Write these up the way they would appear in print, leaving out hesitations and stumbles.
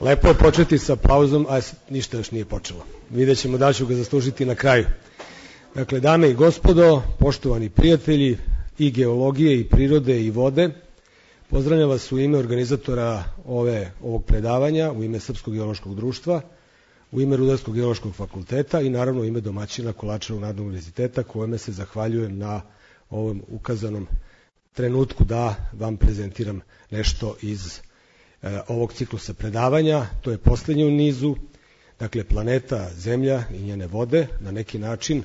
Lepo je početi sa pauzom, a ništa još nije počelo. Vidjet ćemo da ću ga zaslužiti na kraju. Dakle, dame i gospodo, poštovani prijatelji i geologije, i prirode, i vode, pozdravljam vas u ime organizatora ovog predavanja, u ime Srpskog geološkog društva, u ime Rudarskog geološkog fakulteta i naravno u ime domaćina Kolarčevog narodnog univerziteta, kojeme se zahvaljujem na ovom ukazanom trenutku da vam prezentiram nešto iz ovog ciklusa predavanja. To je poslednje u nizu, dakle planeta Zemlja i njene vode. Na neki način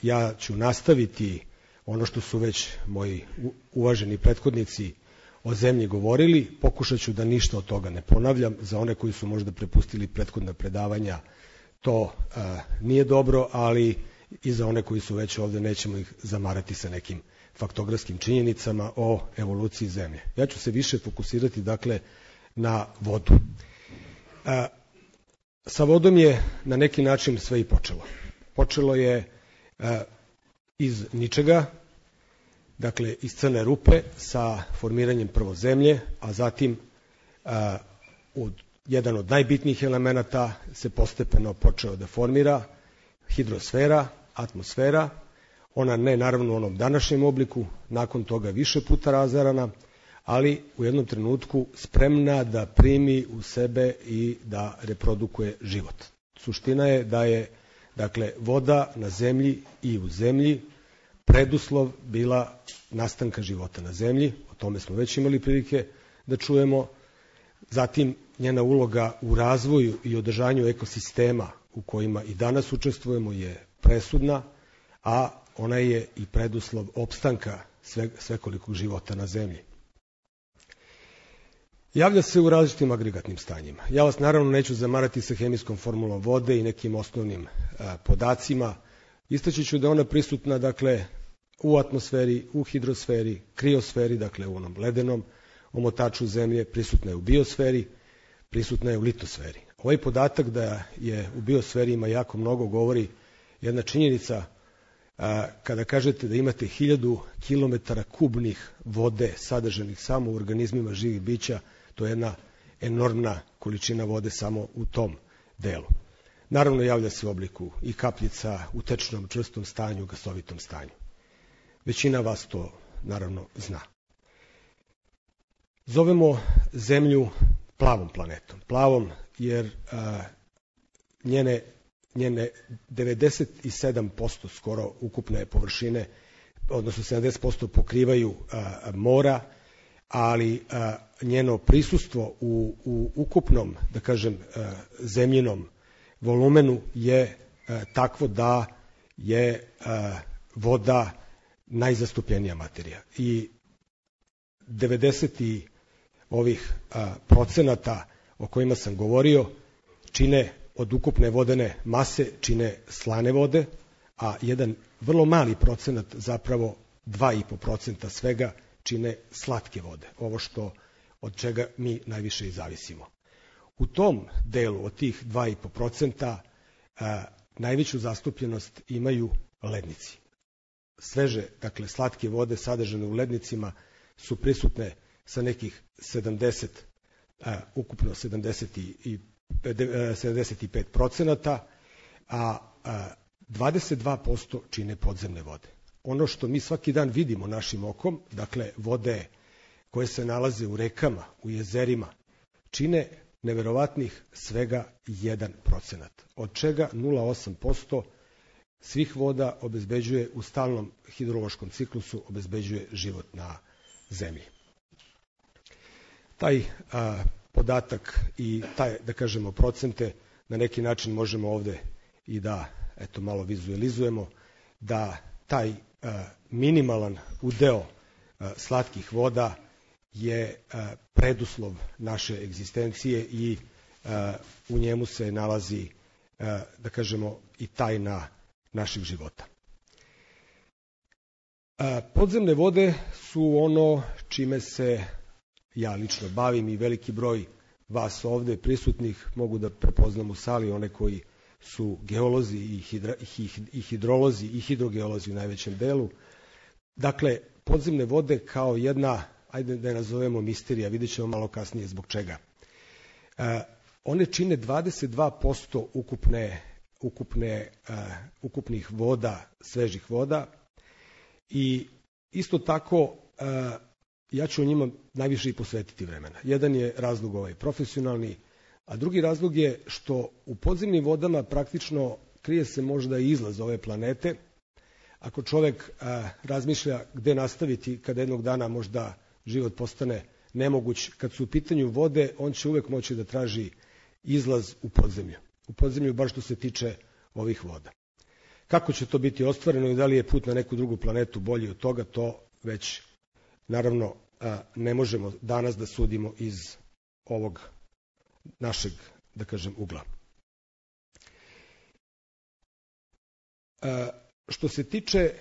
ja ću nastaviti ono što su već moji uvaženi prethodnici o Zemlji govorili. Pokušat ću da ništa od toga ne ponavljam. Za one koji su možda prepustili prethodna predavanja to nije dobro, ali i za one koji su već ovde nećemo ih zamarati sa nekim faktografskim činjenicama o evoluciji Zemlje. Ja ću se više fokusirati, dakle, na vodu. Sa vodom je na neki način sve i počelo. Počelo je iz ničega, dakle, iz crne rupe sa formiranjem prvo Zemlje, a zatim jedan od najbitnijih elemenata se postepeno počeo da formira, hidrosfera, atmosfera. Ona ne naravno u onom današnjem obliku, nakon toga više puta razarana, ali u jednom trenutku spremna da primi u sebe i da reprodukuje život. Suština je da je, dakle, voda na Zemlji i u Zemlji preduslov bila nastanka života na Zemlji, o tome smo već imali prilike da čujemo. Zatim, njena uloga u razvoju i održanju ekosistema u kojima i danas učestvujemo je presudna, a ona je i preduslov opstanka svekolikog života na Zemlji. Javlja se u različitim agregatnim stanjima. Ja vas naravno neću zamarati sa hemijskom formulom vode i nekim osnovnim podacima. Istaći ću da je ona prisutna, dakle, u atmosferi, u hidrosferi, kriosferi, dakle u onom ledenom omotaču Zemlje, prisutna je u biosferi, prisutna je u litosferi. Ovaj podatak da je u biosferi ima jako mnogo govori jedna činjenica. Kada kažete da imate 1000 km kubnih vode sadržanih samo u organizmima živih bića, to je jedna enormna količina vode samo u tom delu. Naravno, javlja se u obliku i kapljica, u tečnom, čvrstom stanju, gasovitom stanju. Većina vas to naravno zna. Zovemo Zemlju plavom planetom. Plavom jer njene 97% skoro ukupne površine, odnosno 70% pokrivaju mora, ali njeno prisustvo u ukupnom, da kažem, zemljinom volumenu je takvo da je voda najzastupljenija materija. I 90 ovih procenata o kojima sam govorio čine od ukupne vodene mase čine slane vode, a jedan vrlo mali procenat, zapravo 2,5% svega, čine slatke vode, ovo od čega mi najviše i zavisimo. U tom delu od tih 2,5% najveću zastupljenost imaju lednici. Sveže, dakle, slatke vode sadržane u lednicima su prisutne sa nekih 75%, a 22% čine podzemne vode. Ono što mi svaki dan vidimo našim okom, dakle vode koje se nalaze u rekama, u jezerima, čine neverovatnih svega 1%, od čega 0,8% svih voda obezbeđuje u stalnom hidrološkom ciklusu, obezbeđuje život na Zemlji. Taj podatak i taj, da kažemo, procente na neki način možemo ovde i da malo vizualizujemo, da taj minimalan udeo slatkih voda je preduslov naše egzistencije i u njemu se nalazi, da kažemo, i tajna naših života. Podzemne vode su ono čime se ja lično bavim i veliki broj vas ovde prisutnih mogu da prepoznam u sali, one koji su geolozi i hidrolozi i hidrogeolozi u najvećem delu. Dakle, podzemne vode kao jedna, ajde da je nazovemo misterija, vidjet ćemo malo kasnije zbog čega. One čine 22% ukupnih voda, svežih voda i isto tako ja ću o njima najviše i posvetiti vremena. Jedan je razlog ovaj profesionalni, a drugi razlog je što u podzemnim vodama praktično krije se možda i izlaz ove planete. Ako čovek razmišlja gde nastaviti kada jednog dana možda život postane nemoguć, kad su u pitanju vode, on će uvek moći da traži izlaz u podzemlju. U podzemlju baš što se tiče ovih voda. Kako će to biti ostvareno i da li je put na neku drugu planetu bolji od toga, to već naravno ne možemo danas da sudimo iz ovog našeg, da kažem, ugla. Što se tiče,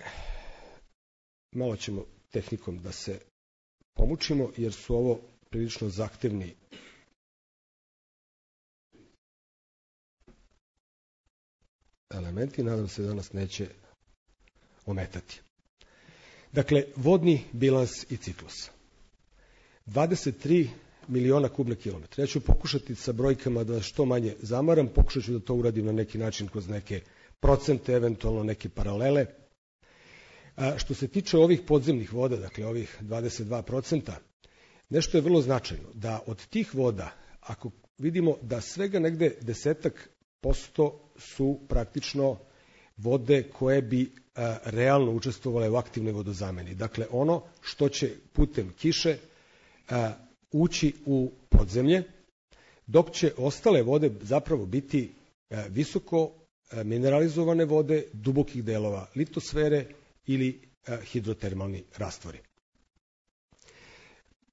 malo ćemo tehnikom da se pomučimo, jer su ovo prilično zahtevni elementi, nadam se da nas neće ometati. Dakle, vodni bilans i ciklus. 23 miliona kubne kilometra. Ja ću pokušati sa brojkama da što manje zamaram, pokušat ću da to uradim na neki način kroz neke procente, eventualno neke paralele. Što se tiče ovih podzemnih voda, dakle ovih 22%, nešto je vrlo značajno, da od tih voda, ako vidimo da svega negde 10% su praktično vode koje bi realno učestvovale u aktivnoj vodozameni. Dakle, ono što će putem kiše ući u podzemlje, dok će ostale vode zapravo biti visoko mineralizovane vode dubokih delova litosfere ili hidrotermalni rastvori.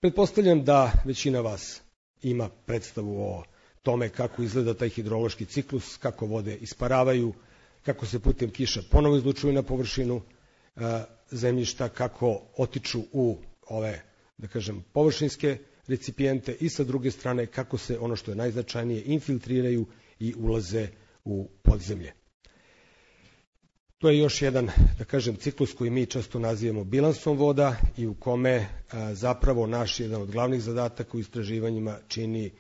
Pretpostavljam da većina vas ima predstavu o tome kako izgleda taj hidrološki ciklus, kako vode isparavaju, kako se putem kiša ponovo izlučuju na površinu zemljišta, kako otiču u ove, da kažem, površinske recipijente i sa druge strane kako se, ono što je najznačajnije, infiltriraju i ulaze u podzemlje. To je još jedan, da kažem, ciklus koji mi često nazivamo bilansom voda i u kome zapravo naš jedan od glavnih zadataka u istraživanjima čini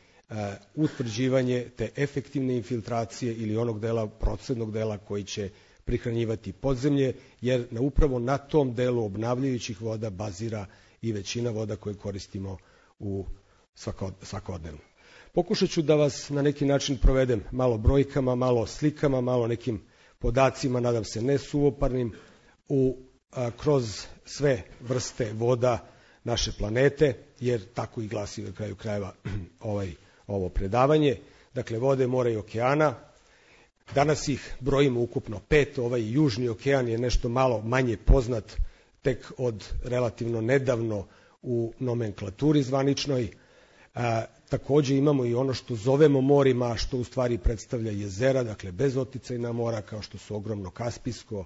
utvrđivanje te efektivne infiltracije ili onog dela, procednog dela koji će prihranjivati podzemlje, jer upravo na tom delu obnavljajućih voda bazira i većina voda koje koristimo u svakodnevno. Pokušat ću da vas na neki način provedem malo brojkama, malo slikama, malo nekim podacima, nadam se ne suvoparnim, kroz sve vrste voda naše planete, jer tako i glasi na kraju krajeva ovo predavanje. Dakle, vode, mora i okeana. Danas ih brojimo ukupno 5, ovaj južni okean je nešto malo manje poznat, tek od relativno nedavno u nomenklaturi zvaničnoj. Takođe imamo i ono što zovemo morima, što u stvari predstavlja jezera, dakle bezoticajna mora, kao što su ogromno Kaspijsko,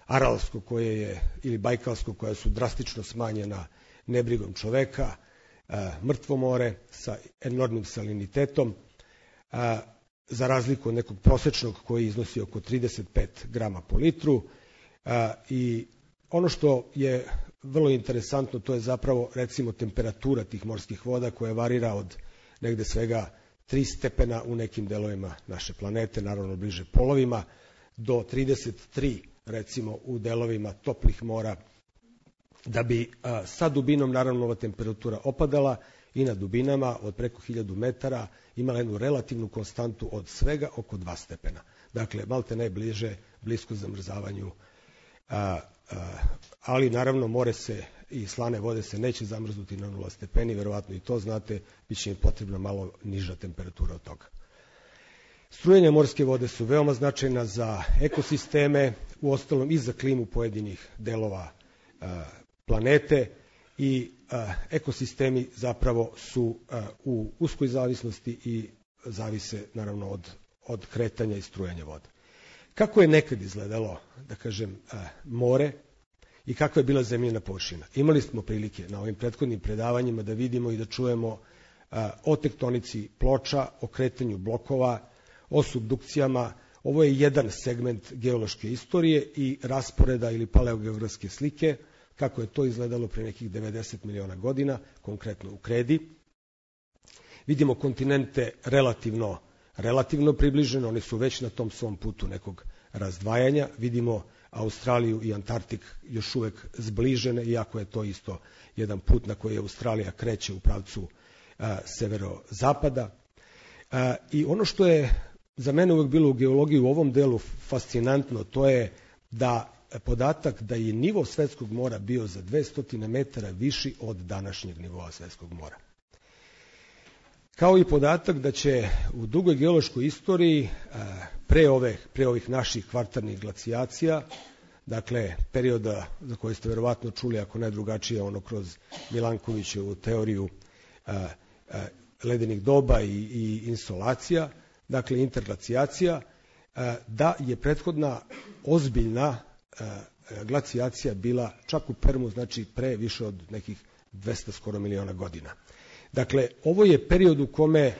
Aralsko koje je, ili Bajkalsko, koja su drastično smanjena nebrigom čoveka, Mrtvo more sa enormnim salinitetom, za razliku od nekog prosečnog koji iznosi oko 35 grama po litru. I ono što je vrlo interesantno, to je zapravo, recimo, temperatura tih morskih voda koja varira od negde svega 3 stepena u nekim delovima naše planete, naravno bliže polovima, do 33, recimo, u delovima toplih mora, da bi sa dubinom, naravno, ova temperatura opadala i na dubinama od preko 1000 metara imala jednu relativnu konstantu od svega oko 2 stepena. Dakle, malte najbliže, blisko zamrzavanju, ali naravno more se i slane vode se neće zamrznuti na 0 stepeni, verovatno i to znate, bit će im potrebna malo niža temperatura od toga. Strujanja morske vode su veoma značajna za ekosisteme, uostalom i za klimu pojedinih delova planete, i ekosistemi zapravo su u uskoj zavisnosti i zavise naravno od kretanja i strujanja vode. Kako je nekad izgledalo, da kažem, more i kakva je bila zemljina površina? Imali smo prilike na ovim prethodnim predavanjima da vidimo i da čujemo o tektonici ploča, o kretanju blokova, o subdukcijama. Ovo je jedan segment geološke istorije i rasporeda ili paleogeografske slike, kako je to izgledalo pre nekih 90 miliona godina, konkretno u Kredi. Vidimo kontinente relativno približeno, oni su već na tom svom putu nekog razdvajanja. Vidimo Australiju i Antarktik još uvek zbližene, iako je to isto jedan put na koji Australija kreće u pravcu severozapada. I ono što je za mene uvek bilo u geologiji u ovom delu fascinantno, to je da podatak da je nivo svetskog mora bio za 200 metara viši od današnjeg nivoa svetskog mora. Kao i podatak da će u dugoj geološkoj istoriji pre ovih naših kvartarnih glacijacija, dakle perioda za koje ste verovatno čuli, ako ne drugačije, ono kroz Milankovićevu teoriju ledenih doba i insolacija, dakle interglacijacija, da je prethodna ozbiljna glacijacija bila čak u Permu, znači pre više od nekih 200 skoro miliona godina. Dakle, ovo je period u kome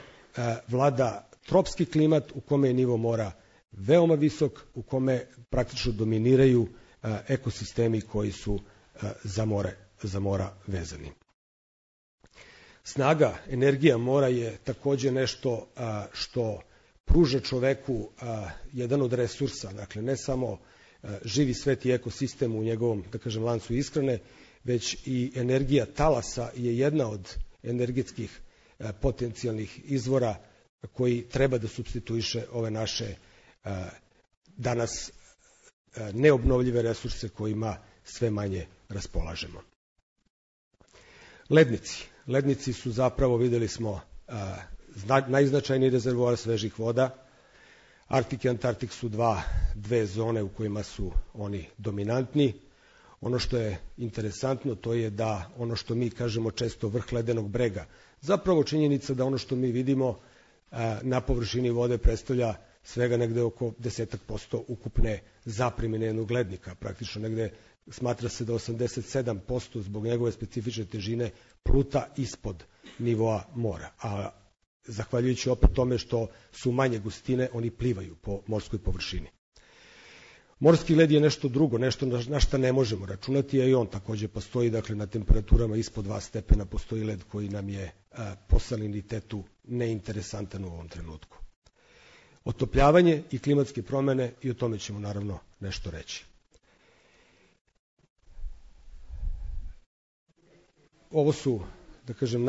vlada tropski klimat, u kome je nivo mora veoma visok, u kome praktično dominiraju ekosistemi koji su za mora vezani. Snaga, energija mora je takođe nešto što pruža čoveku jedan od resursa, dakle ne samo živi svet i ekosistem u njegovom, da kažem, lancu ishrane, već i energija talasa je jedna od energetskih potencijalnih izvora koji treba da supstituiše ove naše danas neobnovljive resurse kojima sve manje raspolažemo. Lednici su zapravo, videli smo, najznačajniji rezervoar svežih voda. Arktik i Antarktik su dve zone u kojima su oni dominantni. Ono što je interesantno, to je da ono što mi kažemo često vrh ledenog brega, zapravo činjenica da ono što mi vidimo na površini vode predstavlja svega negde oko 10% ukupne zapremine jednog lednika. Praktično negde smatra se da 87% zbog njegove specifične težine pluta ispod nivoa mora. A zahvaljujući opet tome što su manje gustine, oni plivaju po morskoj površini. Morski led je nešto drugo, nešto na šta ne možemo računati, a i on takođe postoji, dakle na temperaturama ispod 2 stepena postoji led koji nam je po salinitetu neinteresantan u ovom trenutku. Otopljavanje i klimatske promene, i o tome ćemo naravno nešto reći. Ovo su, da kažem,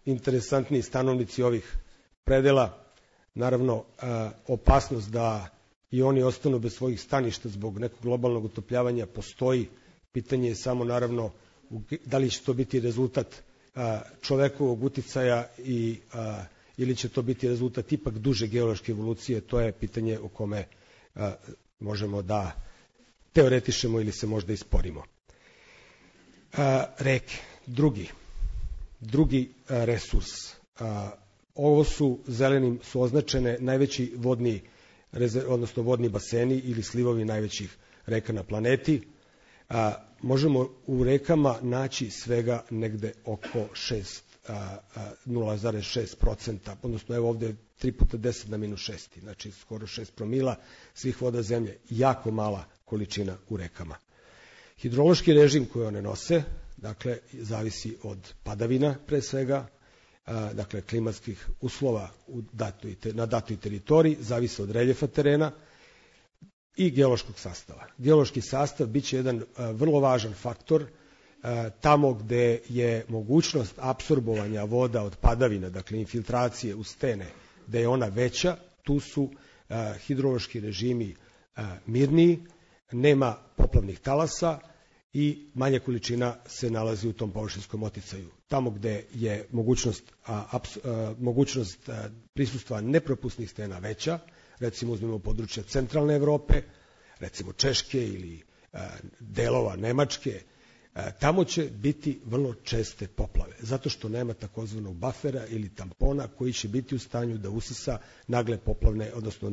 najinteresantniji stanovnici ovih predela. Naravno, opasnost da i oni ostanu bez svojih staništa zbog nekog globalnog otopljavanja postoji. Pitanje je samo, naravno, da li će to biti rezultat čovekovog uticaja ili će to biti rezultat ipak duže geološke evolucije. To je pitanje o kome možemo da teoretišemo ili se možda isporimo. Reke, drugi resurs. Ovo su zelenim su označene najveći vodni baseni ili slivovi najvećih reka na planeti. Možemo u rekama naći svega negde oko 0,6%, odnosno evo ovde je 3 puta 10 na minus 6, znači skoro 6 promila svih voda zemlje, jako mala količina u rekama. Hidrološki režim koji one nose, dakle, zavisi od padavina pre svega, dakle, klimatskih uslova na datoj teritoriji, zavisi od reljefa terena i geološkog sastava. Geološki sastav biće jedan vrlo važan faktor tamo gde je mogućnost apsorbovanja voda od padavina, dakle infiltracije u stene, gde je ona veća, tu su hidrološki režimi mirniji, nema poplavnih talasa i manja količina se nalazi u tom površinskom oticaju. Tamo gde je mogućnost prisustva nepropusnih stena veća, recimo uzmemo područja centralne Evrope, recimo Češke ili delova Nemačke, tamo će biti vrlo česte poplave, zato što nema takozvanog bafera ili tampona koji će biti u stanju da usisa nagle poplavne, odnosno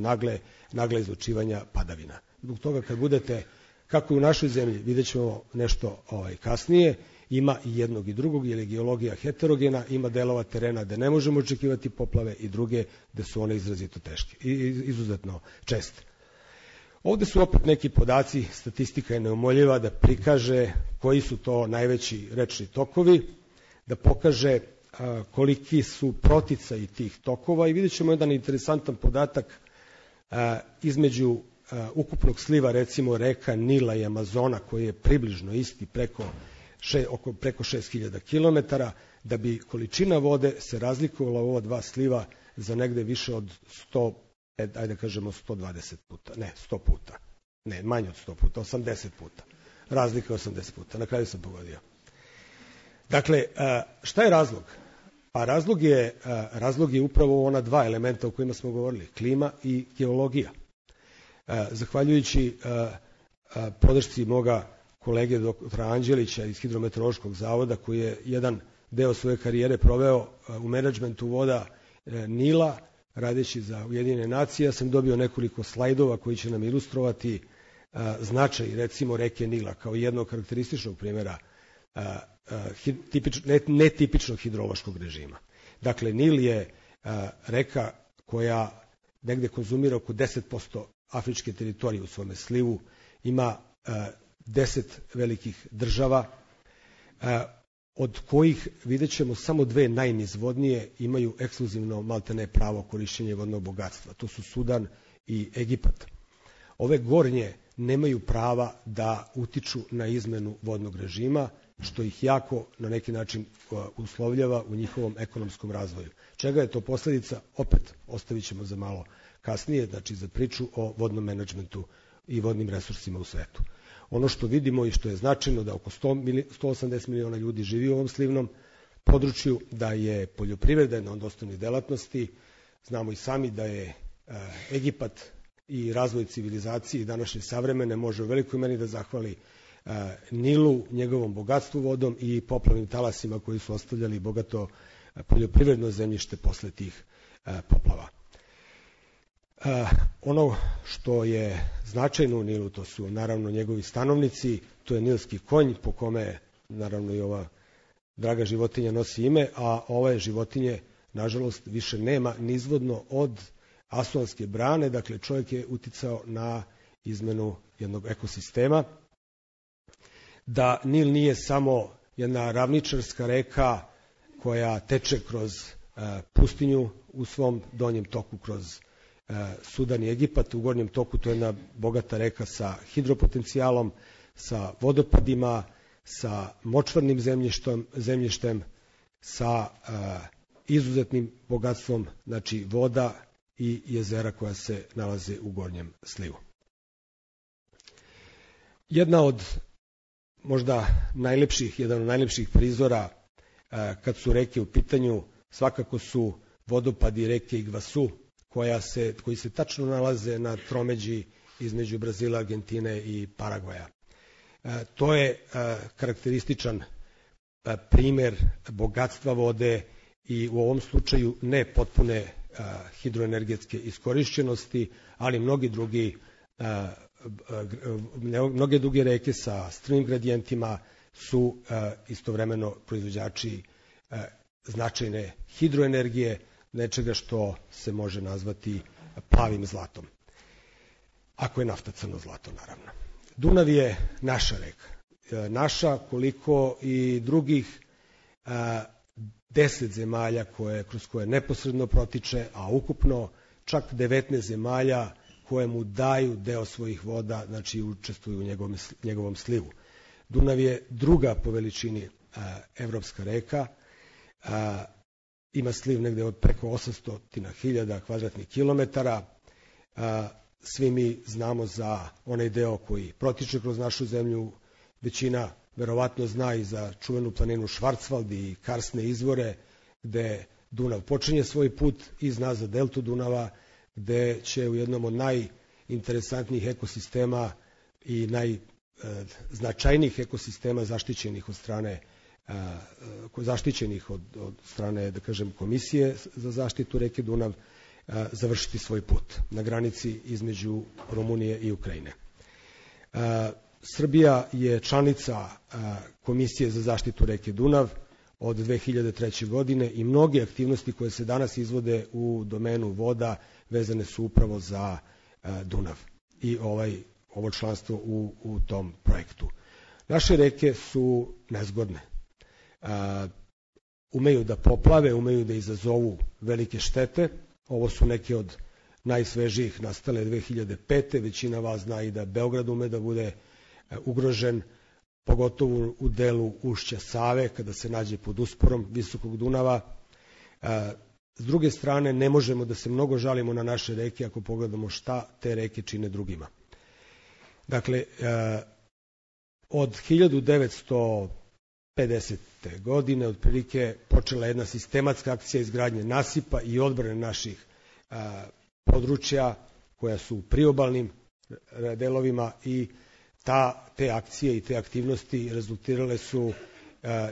nagle izlučivanja padavina. Zbog toga kad budete, kako i u našoj zemlji, vidjet ćemo nešto kasnije, ima i jednog i drugog, jer je geologija heterogena, ima delova terena gde ne možemo očekivati poplave i druge gde su one izrazito teške i izuzetno česte. Ovde su opet neki podaci, statistika je neumoljiva da prikaže koji su to najveći rečni tokovi, da pokaže koliki su proticaji tih tokova i vidjet ćemo jedan interesantan podatak između ukupnog sliva, recimo reka Nila i Amazona, koji je približno isti preko 6000 km, da bi količina vode se razlikovala u ova dva sliva za negde više od 100, ajde kažemo 120 puta, ne 100 puta, ne manje od 100 puta, 80 puta. Razlika je 80 puta, na kraju sam pogodio. Dakle, šta je razlog? Pa razlog je upravo ona dva elementa o kojima smo govorili, klima i geologija. Zahvaljujući podršci moga kolege doktora Anđelića iz Hidrometeorološkog zavoda, koji je jedan deo svoje karijere proveo u menadžmentu voda Nila, radeći za Ujedinjene nacije, ja sam dobio nekoliko slajdova koji će nam ilustrovati značaj, recimo, reke Nila kao jednog karakterističnog primjera netipičnog hidrološkog režima. Dakle, Nil je reka koja negde konzumira oko 10% afričke teritorije u svome slivu, ima 10 velikih država, od kojih, vidjet ćemo, samo dve najnizvodnije imaju ekskluzivno maltene pravo korišćenja vodnog bogatstva. To su Sudan i Egipat. Ove gornje nemaju prava da utiču na izmenu vodnog režima, što ih jako na neki način uslovljava u njihovom ekonomskom razvoju. Čega je to posledica? Opet ostavit ćemo za malo kasnije, znači za priču o vodnom menadžmentu i vodnim resursima u svetu. Ono što vidimo i što je značajno, da oko 180 miliona ljudi živi u ovom slivnom području, da je poljoprivreda jedna od osnovnih delatnosti. Znamo i sami da je Egipat i razvoj civilizacije današnje savremene može u velikoj meri da zahvali Nilu, njegovom bogatstvu vodom i poplavnim talasima koji su ostavljali bogato poljoprivredno zemljište posle tih poplava. Ono što je značajno u Nilu, to su naravno njegovi stanovnici, to je nilski konj, po kome naravno i ova draga životinja nosi ime, a ove životinje, nažalost, više nema nizvodno od Asuanske brane, dakle čovjek je uticao na izmenu jednog ekosistema. Da Nil nije samo jedna ravničarska reka koja teče kroz pustinju u svom donjem toku kroz Sudan i Egipat, u gornjem toku to je jedna bogata reka sa hidropotencijalom, sa vodopadima, sa močvarnim zemljištem, sa izuzetnim bogatstvom, znači voda i jezera koja se nalaze u gornjem slivu. Jedan od najlepših prizora kad su reke u pitanju svakako su vodopadi reke Igvasu, koji se tačno nalaze na tromeđi između Brazila, Argentine i Paragvaja. To je karakterističan primer bogatstva vode i u ovom slučaju ne potpune hidroenergetske iskorišćenosti, ali mnoge druge reke sa strmim gradijentima su istovremeno proizvođači značajne hidroenergije, nečega što se može nazvati plavim zlatom. Ako je nafta crno zlato, naravno. Dunav je naša reka. Naša koliko i drugih 10 zemalja kroz koje neposredno protiče, a ukupno čak 19 zemalja koje mu daju deo svojih voda, znači učestvuju u njegovom slivu. Dunav je druga po veličini evropska reka, ima sliv negde od preko 800.000 kvadratnih kilometara. Svi mi znamo za onaj deo koji protiče kroz našu zemlju, većina verovatno zna i za čuvenu planinu Švarcvald i karsne izvore, gde Dunav počinje svoj put, i zna za deltu Dunava, gde će u jednom od najinteresantnijih ekosistema i najznačajnijih ekosistema zaštićenih od strane, da kažem, Komisije za zaštitu reke Dunav, završiti svoj put na granici između Rumunije i Ukrajine. Srbija je članica Komisije za zaštitu reke Dunav od 2003. godine i mnoge aktivnosti koje se danas izvode u domenu voda vezane su upravo za Dunav i ovo članstvo u tom projektu. Naše reke su nezgodne. umeju da poplave, umeju da izazovu velike štete. Ovo su neke od najsvežijih, nastale 2005. Većina vas zna i da Beograd ume da bude ugrožen, pogotovo u delu ušća Save, kada se nađe pod usporom visokog Dunava. S druge strane, ne možemo da se mnogo žalimo na naše reke ako pogledamo šta te reke čine drugima. Dakle, od 1950. godine otprilike počela jedna sistematska akcija izgradnje nasipa i odbrane naših područja koja su u priobalnim delovima i te akcije i te aktivnosti rezultirale su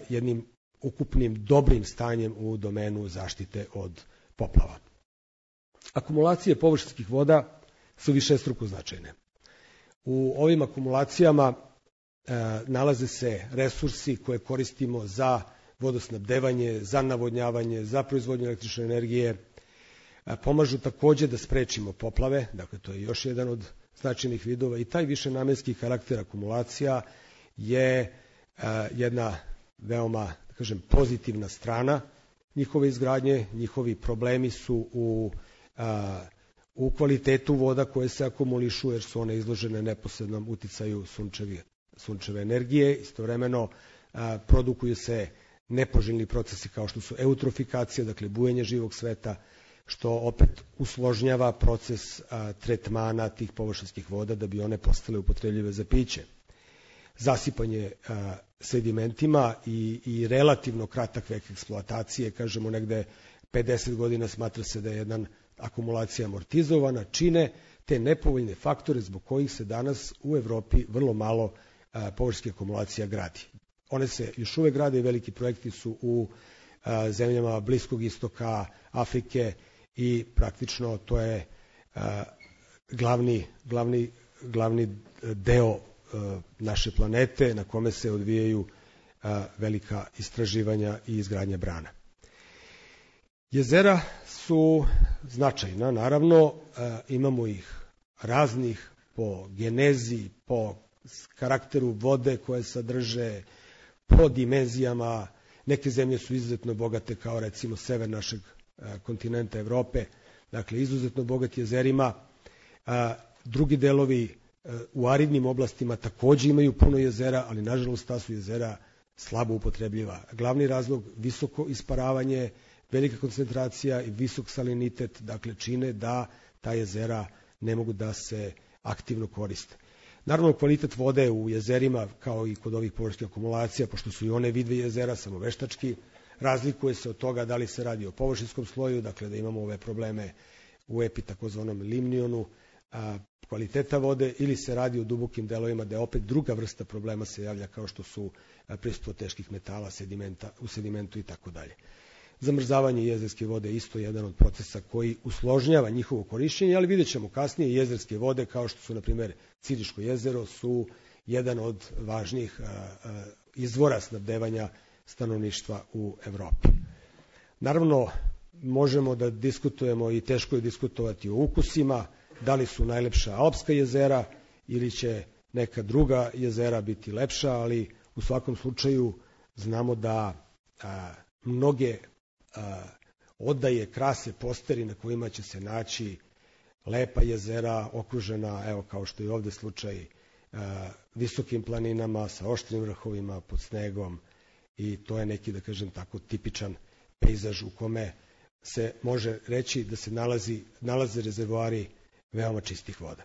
jednim ukupnim dobrim stanjem u domenu zaštite od poplava. Akumulacije površinskih voda su višestruko značajne. U ovim akumulacijama nalaze se resursi koje koristimo za vodosnabdevanje, za navodnjavanje, za proizvodnju električne energije. Pomažu takođe da sprečimo poplave, dakle to je još jedan od značajnih vidova i taj višenamenski karakter akumulacija je jedna veoma, da kažem, pozitivna strana njihove izgradnje. Njihovi problemi su u kvalitetu voda koje se akumulišu, jer su one izložene neposrednom uticaju sunčeve energije. Istovremeno produkuju se nepoželjni procesi kao što su eutrofikacija, dakle bujenje živog sveta, što opet usložnjava proces tretmana tih površinskih voda da bi one postale upotrebljive za piće. Zasipanje sedimentima i relativno kratak vek eksploatacije, kažemo negde 50 godina, smatra se da je jedna akumulacija amortizovana, čine te nepovoljne faktore zbog kojih se danas u Evropi vrlo malo površinskih akumulacija gradi. One se još uvek grade i veliki projekti su u zemljama Bliskog istoka, Afrike i praktično to je glavni deo naše planete na kome se odvijaju velika istraživanja i izgradnja brana. Jezera su značajna, naravno, imamo ih raznih po genezi, po karakteru vode koje sadrže, po dimenzijama. Neke zemlje su izuzetno bogate, kao recimo sever našeg kontinenta Evrope, dakle izuzetno bogati jezerima. Drugi delovi u aridnim oblastima takođe imaju puno jezera, ali nažalost ta su jezera slabo upotrebljiva. Glavni razlog, visoko isparavanje, velika koncentracija i visok salinitet, dakle čine da ta jezera ne mogu da se aktivno koriste. Naravno, kvalitet vode u jezerima, kao i kod ovih površinskih akumulacija, pošto su i one vidve jezera, samo veštački, razlikuje se od toga da li se radi o površinskom sloju, dakle da imamo ove probleme u takozvanom limnionu kvaliteta vode, ili se radi o dubokim delovima da je opet druga vrsta problema se javlja, kao što su prisustvo teških metala, u sedimentu i tako dalje. Zamrzavanje jezerske vode je isto jedan od procesa koji usložnjava njihovo korišćenje, ali vidjet ćemo kasnije jezerske vode, kao što su, na primjer, Ciriško jezero, su jedan od važnijih izvora snabdevanja stanovništva u Evropi. Naravno, možemo da diskutujemo i teško je diskutovati o ukusima, da li su najlepša alpska jezera ili će neka druga jezera biti lepša, ali u svakom slučaju znamo da mnoge odaje krase posteri na kojima će se naći lepa jezera okružena, evo kao što je ovde slučaj, visokim planinama sa oštrim vrhovima pod snegom, i to je neki, da kažem tako, tipičan pejzaž u kome se može reći da se nalaze rezervoari veoma čistih voda.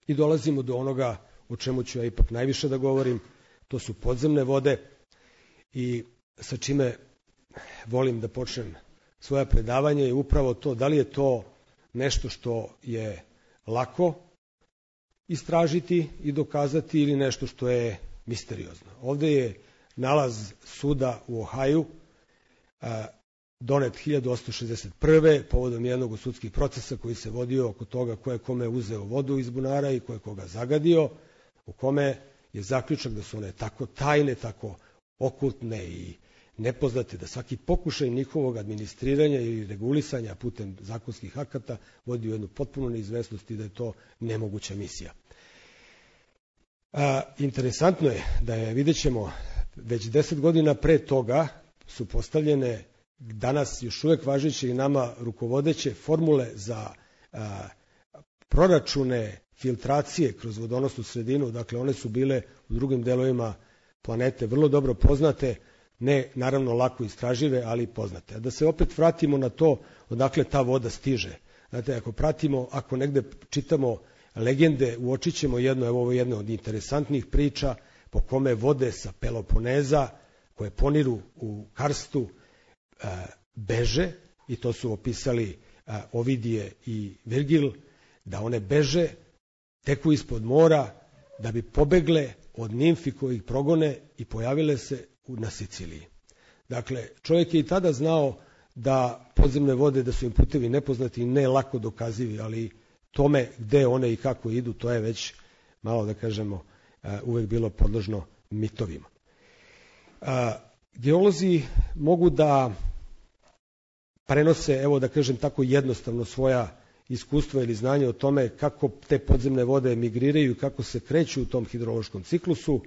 I dolazimo do onoga o čemu ću ja ipak najviše da govorim, to su podzemne vode, i sa čime volim da počnem svoje predavanje je upravo to, da li je to nešto što je lako istražiti i dokazati ili nešto što je misteriozno. Ovde je nalaz suda u Ohaju, donet 1861. povodom jednog od sudskih procesa koji se vodio oko toga ko je kome uzeo vodu iz bunara i ko je koga zagadio, u kome je zaključak da su one tako tajne, tako okultne i nepoznate, da svaki pokušaj njihovog administriranja ili regulisanja putem zakonskih akata vodi u jednu potpunu neizvesnost i da je to nemoguća misija. Interesantno je da je, vidjet ćemo, već 10 godina pre toga su postavljene danas još uvek važeće i nama rukovodeće formule za proračune filtracije kroz vodonosnu sredinu, dakle one su bile u drugim delovima planete vrlo dobro poznate, ne naravno lako istražive, ali poznate. A da se opet vratimo na to odakle ta voda stiže. Znate, ako negde čitamo legende, uočit ćemo ovo je jedna od interesantnih priča po kome vode sa Peloponeza, koje poniru u karstu, beže, i to su opisali Ovidije i Virgil, da one beže, teku ispod mora, da bi pobegle od nimfi koji ih progone i pojavile se na Siciliji. Dakle, čovjek je i tada znao da podzemne vode, da su im putevi nepoznati i ne lako dokazivi, ali tome gde one i kako idu, to je već malo, da kažemo, uvek bilo podložno mitovima. Geolozi mogu da prenose, evo da kažem tako jednostavno, svoja iskustva ili znanje o tome kako te podzemne vode migriraju i kako se kreću u tom hidrološkom ciklusu,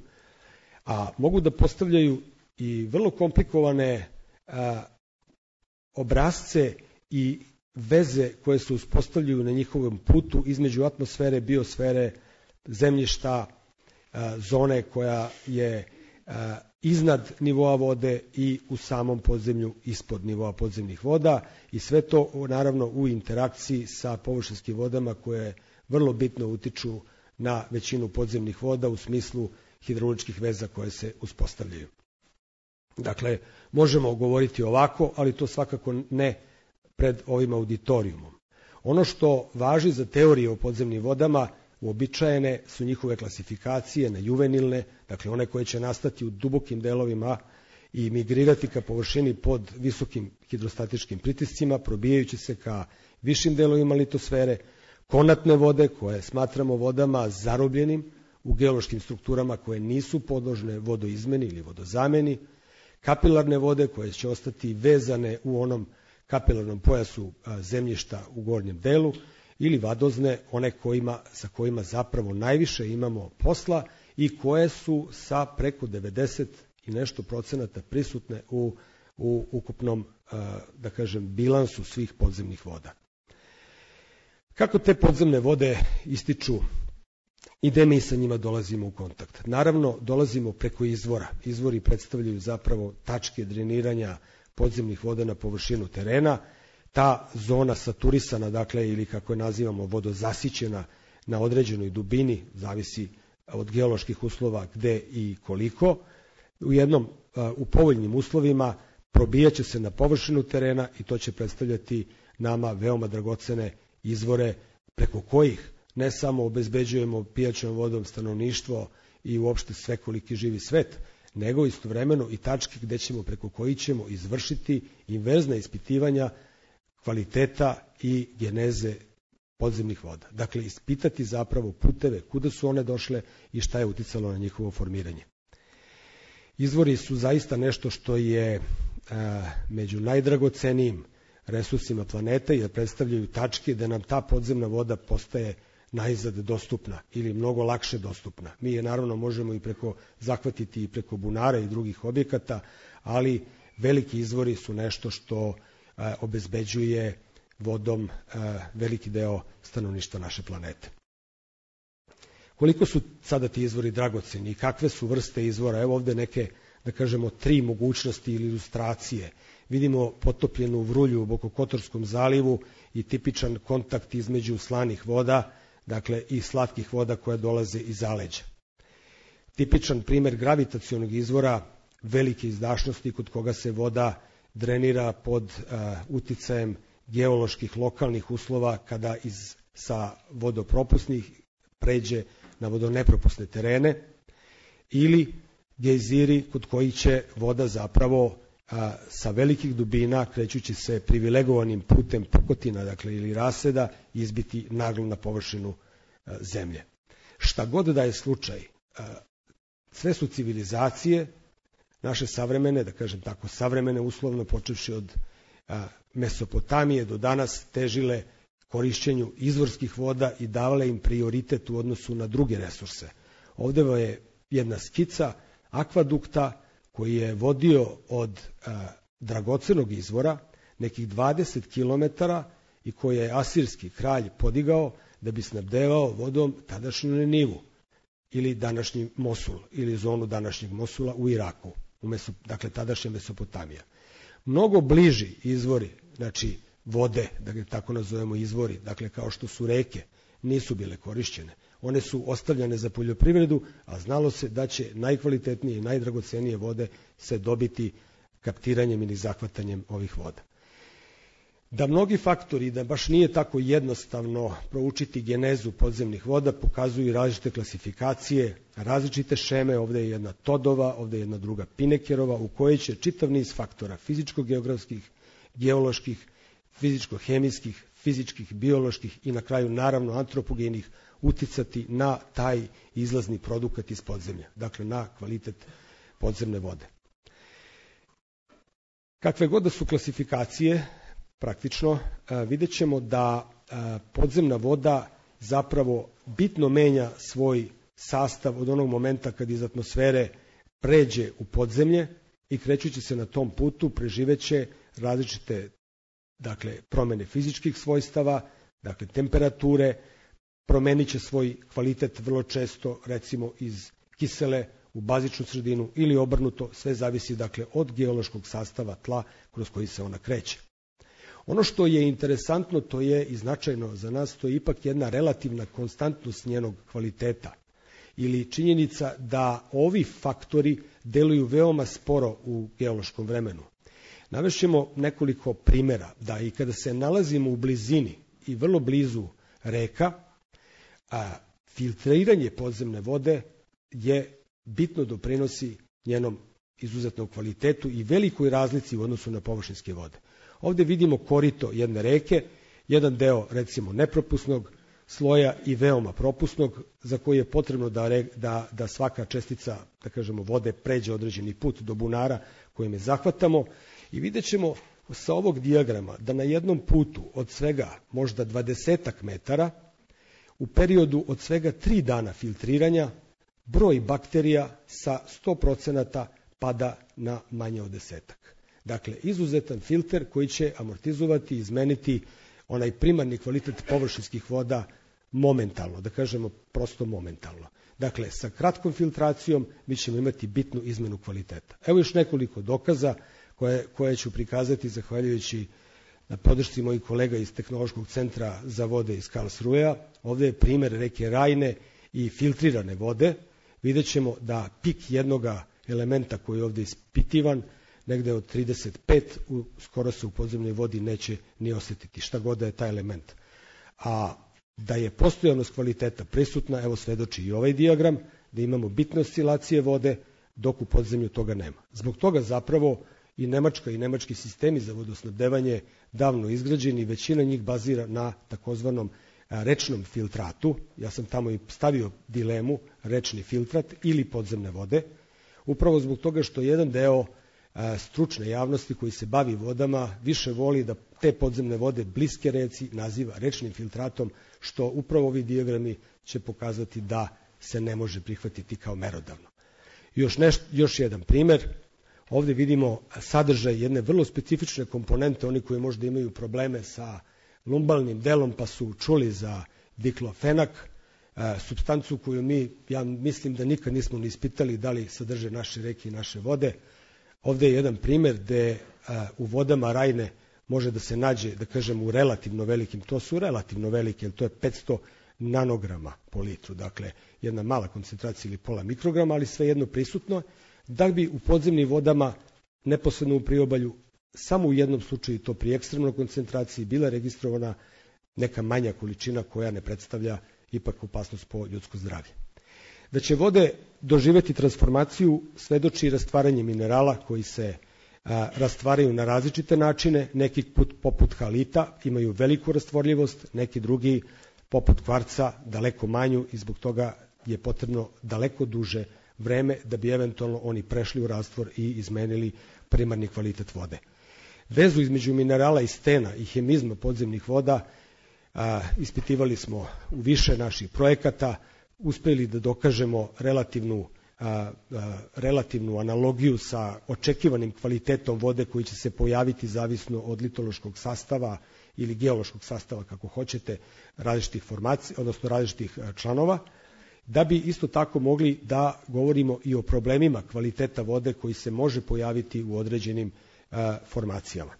a mogu da postavljaju i vrlo komplikovane obrazce i veze koje se uspostavljaju na njihovom putu između atmosfere, biosfere, zemljišta, zone koja je iznad nivoa vode i u samom podzemlju ispod nivoa podzemnih voda, i sve to naravno u interakciji sa površinskim vodama koje vrlo bitno utiču na većinu podzemnih voda u smislu hidrauličkih veza koje se uspostavljaju. Dakle, možemo govoriti ovako, ali to svakako ne pred ovim auditorijumom. Ono što važi za teorije o podzemnim vodama, uobičajene su njihove klasifikacije na juvenilne, dakle one koje će nastati u dubokim delovima i migrirati ka površini pod visokim hidrostatičkim pritiscima, probijajući se ka višim delovima litosfere, konatne vode koje smatramo vodama zarobljenim u geološkim strukturama koje nisu podložne vodoizmeni ili vodozameni, kapilarne vode koje će ostati vezane u onom kapilarnom pojasu zemljišta u gornjem delu, ili vadozne, one sa kojima zapravo najviše imamo posla i koje su sa preko 90 i nešto procenata prisutne u ukupnom, da kažem, bilansu svih podzemnih voda. Kako te podzemne vode ističu i gde mi sa njima dolazimo u kontakt? Naravno, dolazimo preko izvora. Izvori predstavljaju zapravo tačke dreniranja podzemnih voda na površinu terena. Ta zona saturisana, dakle, ili kako je nazivamo, vodozasićena na određenoj dubini, zavisi od geoloških uslova gde i koliko, u povoljnim uslovima probijaće se na površinu terena i to će predstavljati nama veoma dragocene izvore preko kojih ne samo obezbeđujemo pijaćom vodom stanovništvo i uopšte svekoliki živi svet, nego istovremeno i tačke gde ćemo, preko kojih ćemo izvršiti inverzna ispitivanja kvaliteta i geneze podzemnih voda. Dakle, ispitati zapravo puteve, kuda su one došle i šta je uticalo na njihovo formiranje. Izvori su zaista nešto što je među najdragocenijim resursima planete, jer predstavljaju tačke da nam ta podzemna voda postaje najzad dostupna ili mnogo lakše dostupna. Mi je naravno možemo i zahvatiti i preko bunara i drugih objekata, ali veliki izvori su nešto što obezbeđuje vodom veliki deo stanovništva naše planete. Koliko su sada ti izvori dragoceni i kakve su vrste izvora? Evo ovde neke, da kažemo, 3 mogućnosti ili ilustracije. Vidimo potopljenu vrulju u Bokokotorskom zalivu i tipičan kontakt između slanih voda, dakle i slatkih voda koje dolaze iz zaleđa. Tipičan primer gravitacionog izvora velike izdašnosti kod koga se voda drenira pod uticajem geoloških lokalnih uslova kada sa vodopropusnih pređe na vodonepropusne terene, ili gejziri kod koji će voda zapravo sa velikih dubina, krećući se privilegovanim putem pukotina, dakle, ili raseda, izbiti naglo na površinu zemlje. Šta god da je slučaj, sve su civilizacije naše savremene, da kažem tako, savremene uslovno, počevši od Mesopotamije do danas, težile korišćenju izvorskih voda i davale im prioritet u odnosu na druge resurse. Ovde je jedna skica akvadukta koji je vodio od dragocenog izvora nekih 20 km i koji je asirski kralj podigao da bi snabdevao vodom tadašnju Ninivu ili današnji Mosul ili zonu današnjeg Mosula u Iraku, dakle tadašnja Mesopotamija. Mnogo bliži izvori, znači vode, da ga tako nazovemo izvori, dakle kao što su reke, nisu bile korišćene. One su ostavljane za poljoprivredu, a znalo se da će najkvalitetnije i najdragocenije vode se dobiti kaptiranjem ili zahvatanjem ovih voda. Da mnogi faktori, da baš nije tako jednostavno proučiti genezu podzemnih voda, pokazuju i različite klasifikacije, različite šeme, ovde je jedna Todova, ovde je jedna druga Pinekerova, u kojoj će čitav niz faktora fizičko-geografskih, geoloških, fizičko-hemijskih, fizičkih, bioloških i na kraju naravno antropogenih uticati na taj izlazni produkt iz podzemlja, dakle na kvalitet podzemne vode. Kakve god da su klasifikacije, praktično vidjet ćemo da podzemna voda zapravo bitno menja svoj sastav od onog momenta kad iz atmosfere pređe u podzemlje i krećući se na tom putu preživeće različite promene fizičkih svojstava, dakle temperature, promenit će svoj kvalitet vrlo često recimo iz kisele u bazičnu sredinu ili obrnuto, sve zavisi od geološkog sastava tla kroz koji se ona kreće. Ono što je interesantno, to je i značajno za nas, to je ipak jedna relativna konstantnost njenog kvaliteta ili činjenica da ovi faktori deluju veoma sporo u geološkom vremenu. Navešćemo nekoliko primjera da i kada se nalazimo u blizini i vrlo blizu reka, filtriranje podzemne vode je bitno doprinosi njenom izuzetnom kvalitetu i velikoj razlici u odnosu na površinske vode. Ovdje vidimo korito jedne reke, jedan deo recimo nepropusnog sloja i veoma propusnog, za koji je potrebno da svaka čestica, da kažemo, vode pređe određeni put do bunara kojim je zahvatamo i vidjet ćemo sa ovog dijagrama da na jednom putu od svega možda 20 metara u periodu od svega 3 dana filtriranja broj bakterija sa 100% pada na manje od 10. Dakle, izuzetan filter koji će amortizovati i izmeniti onaj primarni kvalitet površinskih voda momentalno, da kažemo prosto momentalno. Dakle, sa kratkom filtracijom mi ćemo imati bitnu izmenu kvaliteta. Evo još nekoliko dokaza koje ću prikazati zahvaljujući na podršci mojih kolega iz Tehnološkog centra za vode iz Karlsruhea. Ovdje je primjer reke Rajne i filtrirane vode. Vidjet ćemo da pik jednog elementa koji je ovdje ispitivan, negde od 35, skoro se u podzemnoj vodi neće ni osjetiti, šta god da je taj element. A da je postojanost kvaliteta prisutna, evo svedoči i ovaj dijagram, da imamo bitne oscilacije vode, dok u podzemlju toga nema. Zbog toga zapravo i Nemačka i nemački sistemi za vodosnabdevanje davno izgrađeni, većina njih bazira na takozvanom rečnom filtratu. Ja sam tamo i stavio dilemu rečni filtrat ili podzemne vode, upravo zbog toga što jedan deo stručne javnosti koji se bavi vodama više voli da te podzemne vode bliske reci naziva rečnim filtratom, što upravo ovi dijagrami će pokazati da se ne može prihvatiti kao merodavno. Još jedan primjer, ovdje vidimo sadržaj jedne vrlo specifične komponente, oni koji možda imaju probleme sa lumbalnim delom pa su čuli za diklofenak, supstancu koju ja mislim da nikad nismo ni ispitali da li sadrže naše reke i naše vode. Ovdje je jedan primjer gde u vodama Rajne može da se nađe, da kažem, u relativno velikim, to su relativno velike, jer to je 500 nanograma po litru, dakle jedna mala koncentracija ili pola mikrograma, ali svejedno prisutno, da bi u podzemnim vodama neposredno u priobalju samo u jednom slučaju, to pri ekstremnoj koncentraciji, bila registrovana neka manja količina koja ne predstavlja ipak opasnost po ljudsko zdravlje. Da će vode doživjeti transformaciju svedoči rastvaranje minerala koji se rastvaraju na različite načine, neki poput halita imaju veliku rastvorljivost, neki drugi poput kvarca daleko manju i zbog toga je potrebno daleko duže vreme da bi eventualno oni prešli u rastvor i izmenili primarni kvalitet vode. Vezu između minerala i stena i hemizma podzemnih voda ispitivali smo u više naših projekata, uspeli da dokažemo relativnu relativnu analogiju sa očekivanim kvalitetom vode koji će se pojaviti zavisno od litološkog sastava ili geološkog sastava, kako hoćete, različitih formacija, odnosno različitih članova, da bi isto tako mogli da govorimo i o problemima kvaliteta vode koji se može pojaviti u određenim formacijama.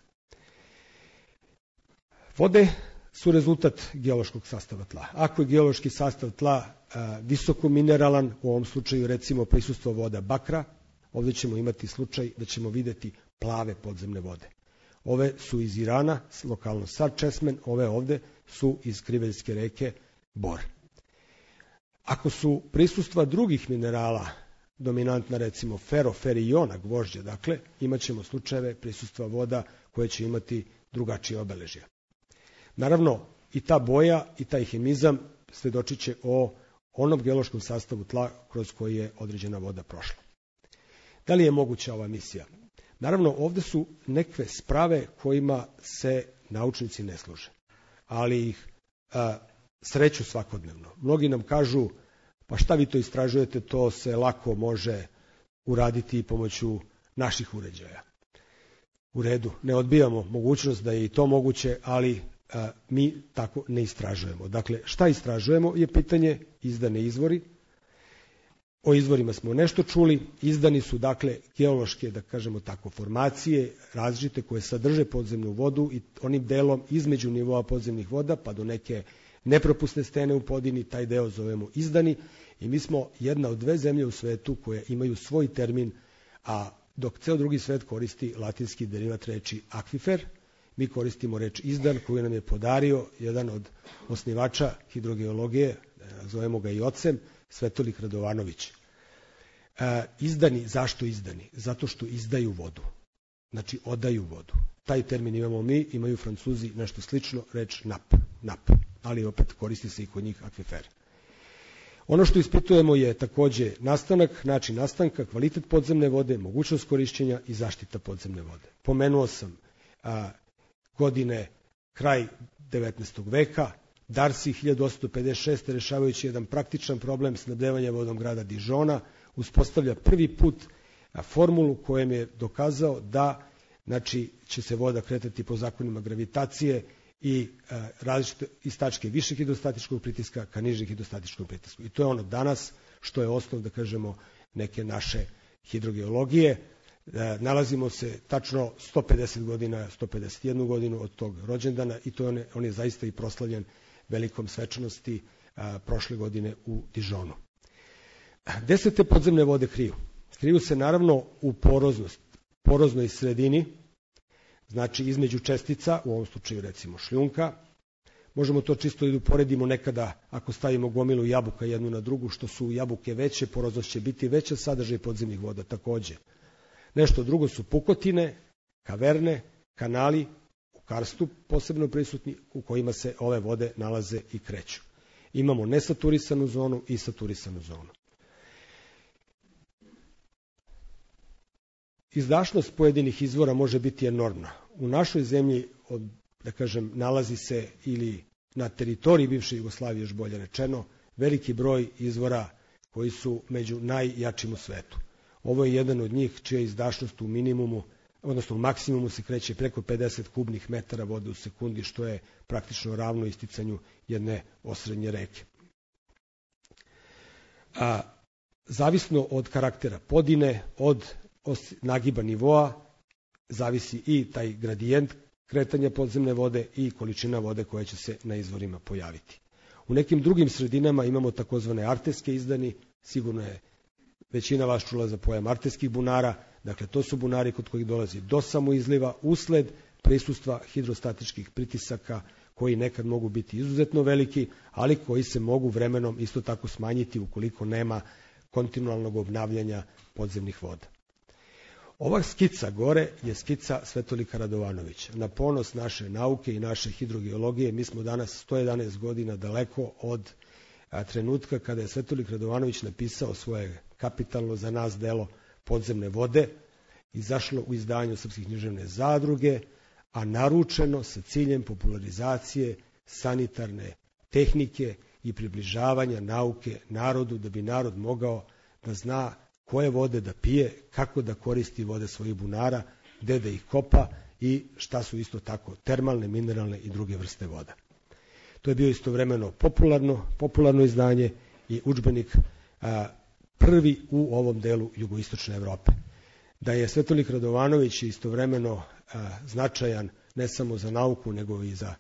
Vode su rezultat geološkog sastava tla. Ako je geološki sastav tla visoko mineralan, u ovom slučaju recimo prisustvo voda bakra, ovdje ćemo imati slučaj da ćemo vidjeti plave podzemne vode. Ove su iz Irana, lokalno Sad Česmen, ove ovde su iz Kriveljske reke Bor. Ako su prisustva drugih minerala dominantna, recimo fero-ferijona, gvožđe, dakle, imat ćemo slučajeve prisustva voda koje će imati drugačije obeležje. Naravno, i ta boja i taj hemizam svedočit će o onom geološkom sastavu tla kroz koji je određena voda prošla. Da li je moguća ova misija? Naravno, ovde su neke sprave kojima se naučnici ne služe, ali ih sreću svakodnevno. Mnogi nam kažu, pa šta vi to istražujete, to se lako može uraditi i pomoću naših uređaja. U redu, ne odbijamo mogućnost da je i to moguće, ali mi tako ne istražujemo. Dakle, šta istražujemo je pitanje, izdane izvori. O izvorima smo nešto čuli, izdani su dakle geološke, da kažemo tako, formacije različite koje sadrže podzemnu vodu i onim delom između nivoa podzemnih voda pa do neke nepropusne stene u podini, taj deo zovemo izdani i mi smo jedna od dve zemlje u svetu koje imaju svoj termin, a dok ceo drugi svet koristi latinski derivat reči akvifer, mi koristimo reč izdan koju nam je podario jedan od osnivača hidrogeologije, zovemo ga i ocem, Svetolik Radovanović. Izdani, zašto izdani? Zato što izdaju vodu. Znači, odaju vodu. Taj termin imamo mi, imaju Francuzi nešto slično, reč nap, ali opet koristi se i kod njih akvifer. Ono što ispitujemo je takođe nastanak, način nastanka, kvalitet podzemne vode, mogućnost korišćenja i zaštita podzemne vode. Pomenuo sam godine kraj 19. veka, Darcy 1856. rešavajući jedan praktičan problem snabdevanja vodom grada Dižona, uspostavlja prvi put formulu kojem je dokazao da će se voda kretati po zakonima gravitacije i različite iz tačke višeg hidrostatičkog pritiska ka nižeg hidrostatičkog pritisku. I to je ono danas što je osnov, da kažemo, neke naše hidrogeologije. Nalazimo se tačno 150 godina, 151 godinu od tog rođendana i to on je zaista i proslavljen velikom svečanosti prošle godine u Dižonu. Gde se te podzemne vode kriju? Kriju se naravno u poroznoj sredini, znači između čestica, u ovom slučaju recimo šljunka. Možemo to čisto i uporedimo nekada ako stavimo gomilu jabuka jednu na drugu, što su jabuke veće, poroznost će biti veća, sadržaj podzemnih voda takođe. Nešto drugo su pukotine, kaverne, kanali, u karstu posebno prisutni, u kojima se ove vode nalaze i kreću. Imamo nesaturisanu zonu i saturisanu zonu. Izdašnost pojedinih izvora može biti enormna. U našoj zemlji, da kažem, nalazi se ili na teritoriji bivše Jugoslavije, još bolje rečeno, veliki broj izvora koji su među najjačim u svetu. Ovo je jedan od njih čija izdašnost u minimumu, odnosno u maksimumu se kreće preko 50 kubnih metara vode u sekundi, što je praktično ravno isticanju jedne osrednje reke. Zavisno od karaktera podine, od nagiba nivoa, zavisi i taj gradijent kretanja podzemne vode i količina vode koja će se na izvorima pojaviti. U nekim drugim sredinama imamo takozvane arterske izdani, sigurno je većina vas čula za pojam arterskih bunara, dakle to su bunari kod kojih dolazi do samoizliva usled prisustva hidrostatičkih pritisaka koji nekad mogu biti izuzetno veliki, ali koji se mogu vremenom isto tako smanjiti ukoliko nema kontinualnog obnavljanja podzemnih voda. Ova skica gore je skica Svetolika Radovanovića. Na ponos naše nauke i naše hidrogeologije, mi smo danas 111 godina daleko od trenutka kada je Svetolik Radovanović napisao svoje kapitalno za nas delo Podzemne vode, izašlo u izdanju Srpske književne zadruge, a naručeno sa ciljem popularizacije sanitarne tehnike i približavanja nauke narodu, da bi narod mogao da zna koje vode da pije, kako da koristi vode svojih bunara, gde da ih kopa i šta su isto tako termalne, mineralne i druge vrste voda. To je bio istovremeno popularno izdanje i udžbenik prvi u ovom delu jugoistočne Evrope. Da je Svetolik Radovanović istovremeno značajan ne samo za nauku, nego i za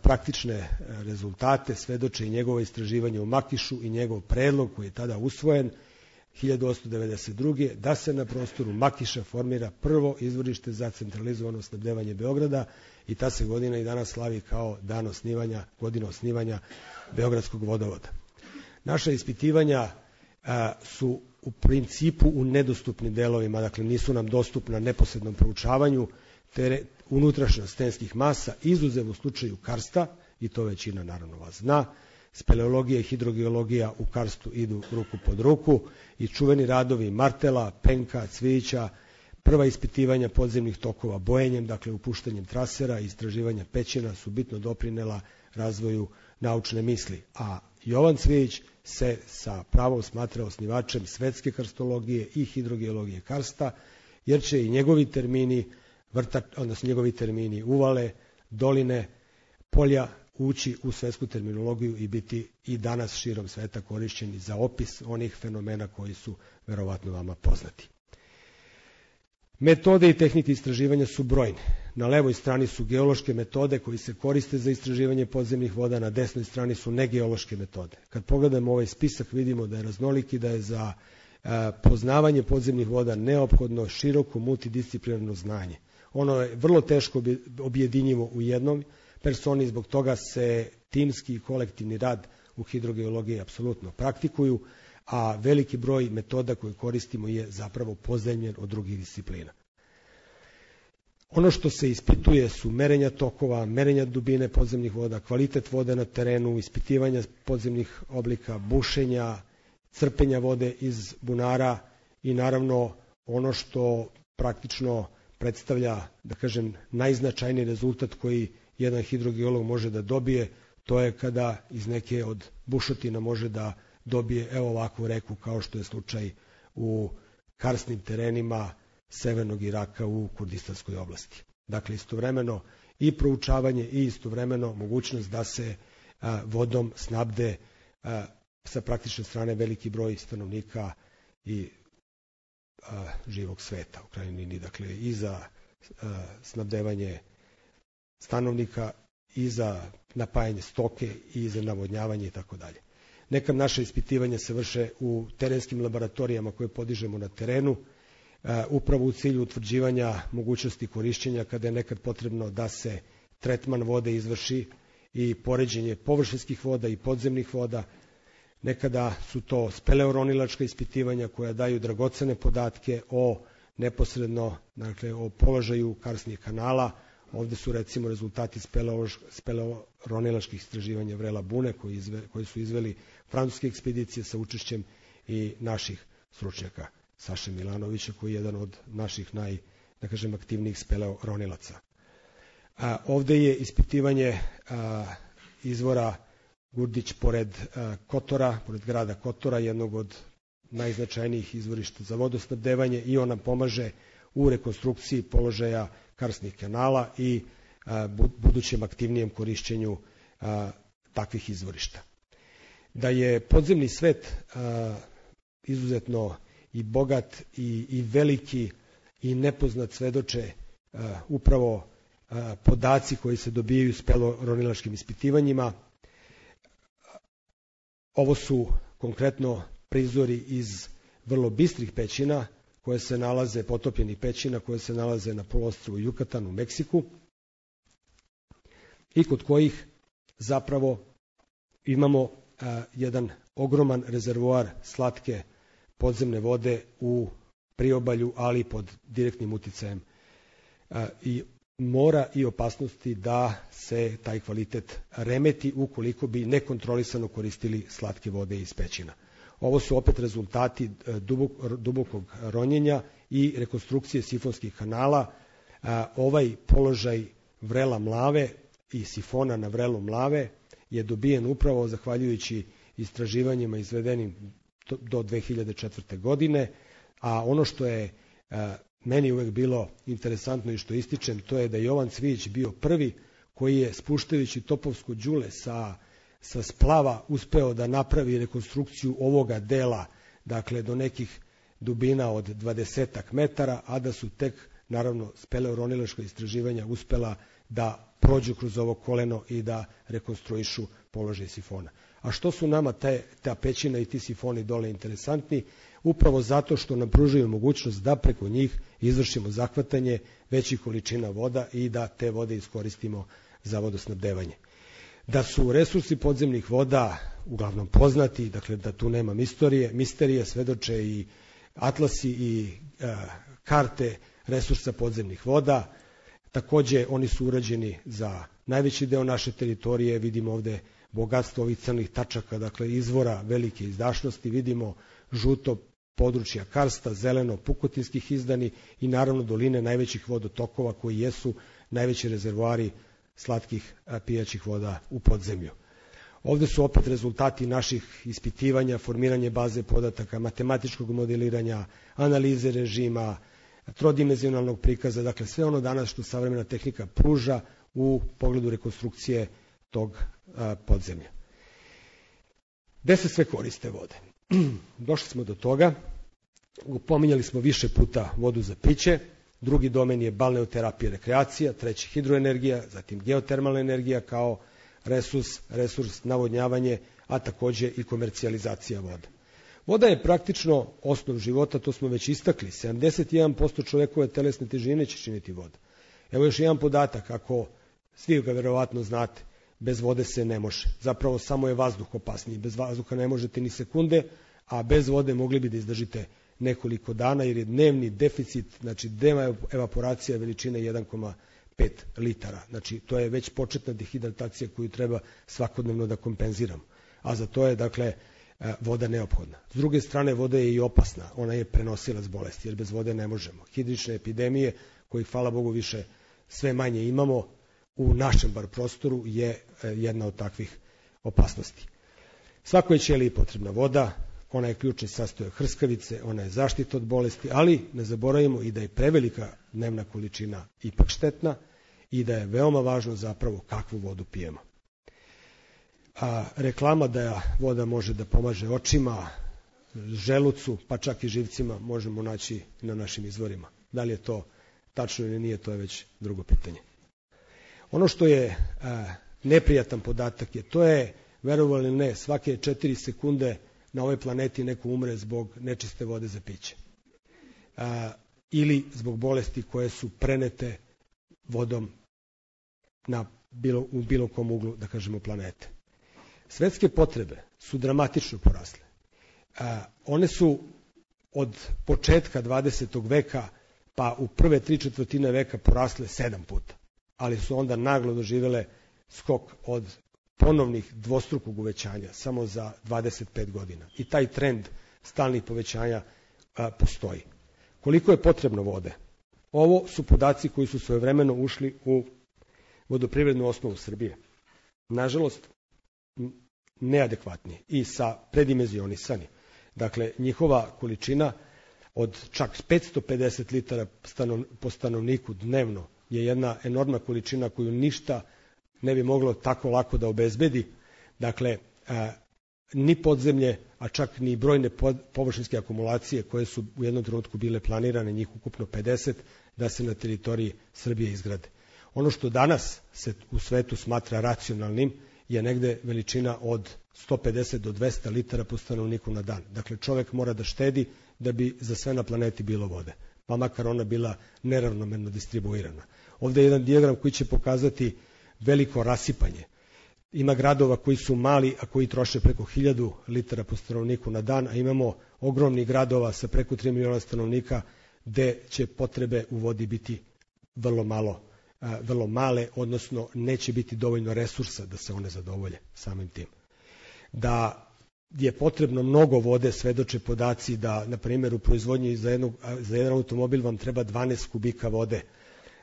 praktične rezultate, svedoče i njegovo istraživanje u Makišu i njegov predlog koji je tada usvojen 1892. da se na prostoru Makiša formira prvo izvorište za centralizovano snabdevanje Beograda i ta se godina i danas slavi kao godina osnivanja Beogradskog vodovoda. Naša ispitivanja su u principu u nedostupnim delovima, dakle nisu nam dostupna neposrednom proučavanju unutrašnjost stenskih masa, izuzev u slučaju karsta, i to većina naravno vas zna. Speleologija i hidrogeologija u karstu idu ruku pod ruku i čuveni radovi Martela, Penka, Cvijića, prva ispitivanja podzemnih tokova bojenjem, dakle upuštanjem trasera i istraživanja pećina su bitno doprinela razvoju naučne misli, a Jovan Cvijić se sa pravom smatra osnivačem svetske karstologije i hidrogeologije karsta, jer će i njegovi termini uvale, doline, polja ući u svetsku terminologiju i biti i danas širom sveta korišćeni za opis onih fenomena koji su verovatno vama poznati. Metode i tehnike istraživanja su brojne. Na levoj strani su geološke metode koji se koriste za istraživanje podzemnih voda, na desnoj strani su negeološke metode. Kad pogledamo ovaj spisak vidimo da je raznolik i da je za poznavanje podzemnih voda neophodno široko multidisciplinarno znanje. Ono je vrlo teško objedinjivo u jednom personi, zbog toga se timski i kolektivni rad u hidrogeologiji apsolutno praktikuju, a veliki broj metoda koje koristimo je zapravo pozajmljen od drugih disciplina. Ono što se ispituje su merenja tokova, merenja dubine podzemnih voda, kvalitet vode na terenu, ispitivanja podzemnih oblika, bušenja, crpenja vode iz bunara i naravno ono što praktično predstavlja, da kažem, najznačajniji rezultat koji jedan hidrogeolog može da dobije, to je kada iz neke od bušotina može da dobije evo ovakvu reku kao što je slučaj u karsnim terenima severnog Iraka u Kurdistanskoj oblasti. Dakle, istovremeno i proučavanje i istovremeno mogućnost da se vodom snabde sa praktične strane veliki broj stanovnika i živog sveta u krajnjoj liniji, dakle i za snabdevanje stanovnika i za napajanje stoke i za navodnjavanje i tako dalje. Nekad naše ispitivanja se vrše u terenskim laboratorijama koje podižemo na terenu, upravo u cilju utvrđivanja mogućnosti korišćenja kada je nekad potrebno da se tretman vode izvrši i poređenje površinskih voda i podzemnih voda. Nekada su to speleoronilačka ispitivanja koja daju dragocene podatke o neposredno, dakle o položaju karsnih kanala. Ovde su recimo rezultati speleoronilačkih istraživanja vrela Bune koji su izveli francuske ekspedicije sa učešćem i naših stručnjaka. Saše Milanovića koji je jedan od naših aktivnijih speleoronilaca. Ovde je ispitivanje izvora Gurdić pored Kotora, pored grada Kotora, jednog od najznačajnijih izvorišta za vodosnabdevanje i on nam pomaže u rekonstrukciji položaja karsnih kanala i budućem aktivnijem korišćenju takvih izvorišta. Da je podzemni svet izuzetno i bogat i veliki i nepoznat svedoče upravo podaci koji se dobijaju speleoronilačkim ispitivanjima. Ovo su konkretno prizori iz vrlo bistrih pećina koje se nalaze, potopljenih pećina koje se nalaze na poluostrvu Jukatan u Meksiku i kod kojih zapravo imamo jedan ogroman rezervoar slatke podzemne vode u priobalju, ali pod direktnim uticajem i mora i opasnosti da se taj kvalitet remeti ukoliko bi nekontrolisano koristili slatke vode iz pećina. Ovo su opet rezultati dubokog ronjenja i rekonstrukcije sifonskih kanala. Ovaj položaj vrela Mlave i sifona na vrelu Mlave je dobijen upravo zahvaljujući istraživanjima izvedenim do 2004. godine, a ono što je meni uvek bilo interesantno i što ističem, to je da je Jovan Cvijić bio prvi koji je, spuštajući topovsko đule sa splava, uspeo da napravi rekonstrukciju ovoga dela, dakle do nekih dubina od 20 metara, a da su tek, naravno, speleoronilaška istraživanja uspela da prođu kroz ovo koleno i da rekonstruišu položaj sifona. A što su nama ta pećina i ti sifoni dole interesantni? Upravo zato što nam pružaju mogućnost da preko njih izvršimo zahvatanje većih količina voda i da te vode iskoristimo za vodosnabdevanje. Da su resursi podzemnih voda uglavnom poznati, dakle da tu nema misterije, svedoče i atlasi i karte resursa podzemnih voda. Takođe, oni su urađeni za najveći deo naše teritorije. Vidimo ovde bogatstvo ovih crnih tačaka, dakle izvora velike izdašnosti. Vidimo žuto područja karsta, zeleno pukotinskih izdani i naravno doline najvećih vodotokova koji jesu najveći rezervoari slatkih pijaćih voda u podzemlju. Ovde su opet rezultati naših ispitivanja, formiranje baze podataka, matematičkog modeliranja, analize režima, trodimenzionalnog prikaza, dakle sve ono danas što savremena tehnika pruža u pogledu rekonstrukcije tog podzemlja. Gde se sve koriste vode? Došli smo do toga, pominjali smo više puta vodu za piće, drugi domen je balneoterapija, rekreacija, treći hidroenergija, zatim geotermalna energija kao resurs navodnjavanje, a takođe i komercijalizacija voda. Voda je praktično osnov života, to smo već istakli. 71% čovekove telesne težine će činiti voda. Evo još jedan podatak, ako svi ga verovatno znate, bez vode se ne može. Zapravo samo je vazduh opasniji. Bez vazduha ne možete ni sekunde, a bez vode mogli bi da izdržite nekoliko dana, jer je dnevni deficit, znači dnevna evaporacija veličine 1,5 litara. Znači to je već početna dehidratacija koju treba svakodnevno da kompenziramo. A za to je, dakle, voda neophodna. S druge strane, voda je i opasna. Ona je prenosilac bolesti, jer bez vode ne možemo. Hidrične epidemije, kojih, hvala Bogu, više sve manje imamo, u našem bar prostoru je jedna od takvih opasnosti. Svakoj ćeliji je potrebna voda, ona je ključni sastojak hrskavice, ona je zaštita od bolesti, ali ne zaboravimo i da je prevelika dnevna količina ipak štetna i da je veoma važno zapravo kakvu vodu pijemo. A reklama da voda može da pomaže očima, želucu, pa čak i živcima možemo naći na našim izvorima. Da li je to tačno ili nije, to je već drugo pitanje. Ono što je neprijatan podatak je, to je, verovali ili ne, svake 4 sekunde na ovoj planeti neko umre zbog nečiste vode za piće. Ili zbog bolesti koje su prenete vodom u bilo kom uglu, da kažemo, planete. Svetske potrebe su dramatično porasle. One su od početka 20. veka pa u prve 3/4 veka porasle 7 puta, ali su onda naglo doživele skok od ponovnih dvostrukog uvećanja samo za 25 godina. I taj trend stalnih povećanja postoji. Koliko je potrebno vode? Ovo su podaci koji su svojevremeno ušli u vodoprivrednu osnovu Srbije. Nažalost, neadekvatni i predimenzionisani. Dakle, njihova količina od čak 550 litara po stanovniku dnevno je jedna enormna količina koju ništa ne bi moglo tako lako da obezbedi. Dakle, ni podzemlje, a čak ni brojne površinske akumulacije koje su u jednom trenutku bile planirane, njih ukupno 50, da se na teritoriji Srbije izgrade. Ono što danas se u svetu smatra racionalnim je negde veličina od 150 do 200 litara po stanovniku na dan. Dakle, čovek mora da štedi da bi za sve na planeti bilo vode, pa makar ona bila neravnomerno distribuirana. Ovde je jedan dijagram koji će pokazati veliko rasipanje. Ima gradova koji su mali, a koji troše preko 1000 litara po stanovniku na dan, a imamo ogromnih gradova sa preko 3 miliona stanovnika gde će potrebe u vodi biti vrlo male, odnosno neće biti dovoljno resursa da se one zadovolje samim tim. Da je potrebno mnogo vode, svedoče podaci da, na primjer, u proizvodnji za jedan automobil vam treba 12 kubika vode,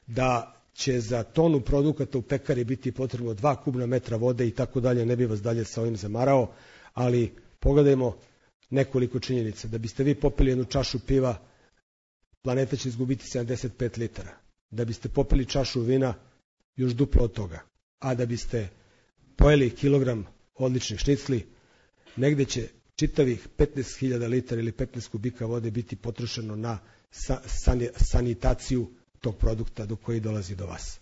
da će za tonu produkata u pekari biti potrebno 2 kubna metra vode i tako dalje, ne bi vas dalje sa ovim zamarao, ali pogledajmo nekoliko činjenica. Da biste vi popili jednu čašu piva, planeta će izgubiti 75 litara. Da biste popili čašu vina, još duplo od toga. A da biste pojeli kilogram odličnih šnicli, negde će čitavih 15.000 litara ili 15 kubika vode biti potrošeno na sanitaciju tog produkta do koji dolazi do vas.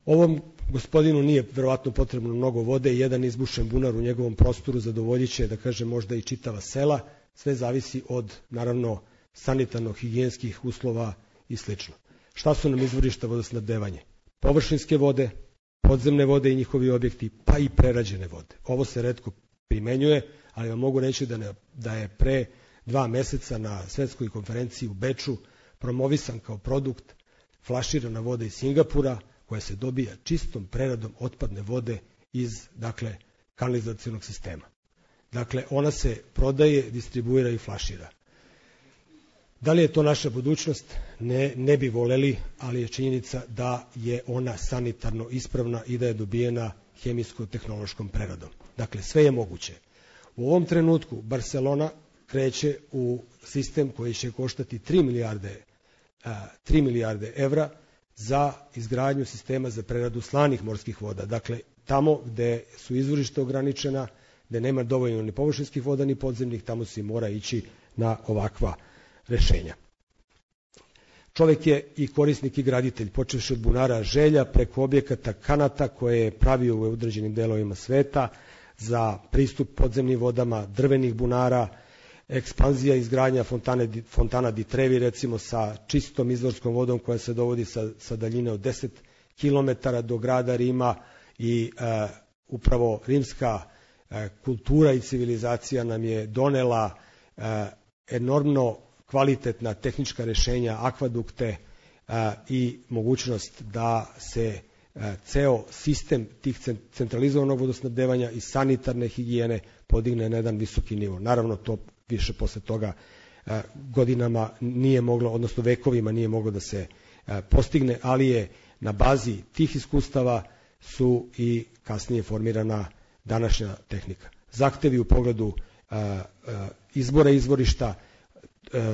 Ovom gospodinu nije verovatno potrebno mnogo vode i jedan izbušen bunar u njegovom prostoru zadovoljit će, da kažem, možda i čitava sela. Sve zavisi od, naravno, sanitarno-higijenskih uslova i sl. Šta su nam izvorišta vodosnabdevanja? Površinske vode, podzemne vode i njihovi objekti, pa i prerađene vode. Ovo se retko primenjuje, ali vam mogu reći da je pre 2 meseca na svetskoj konferenciji u Beču promovisan kao produkt flaširana voda iz Singapura, koja se dobija čistom preradom otpadne vode iz, dakle, kanalizacionog sistema. Dakle, ona se prodaje, distribuira i flašira. Da li je to naša budućnost? Ne bi voleli, ali je činjenica da je ona sanitarno ispravna i da je dobijena hemijsko-tehnološkom preradom. Dakle, sve je moguće. U ovom trenutku Barcelona kreće u sistem koji će koštati 3 milijarde evra za izgradnju sistema za preradu slanih morskih voda. Dakle, tamo gde su izvorišta ograničena, gde nema dovoljno ni površinskih voda ni podzemnih, tamo se mora ići na ovakva rešenja. Čovek je i korisnik i graditelj, počevši od bunara želja preko objekata kanata koje je pravio u određenim delovima sveta za pristup podzemnim vodama, drvenih bunara, ekspanzija izgradnja fontana di Trevi, recimo sa čistom izvorskom vodom koja se dovodi sa daljine od 10 km do grada Rima i upravo rimska kultura i civilizacija nam je donela enormno kvalitetna tehnička rešenja, akvadukte i mogućnost da se ceo sistem tih centralizovanog vodosnabdevanja i sanitarne higijene podigne na jedan visoki nivo. Naravno, to više posle toga godinama nije moglo, odnosno vekovima nije moglo da se postigne, ali je na bazi tih iskustava su i kasnije formirana današnja tehnika. Zahtevi u pogledu izbora izvorišta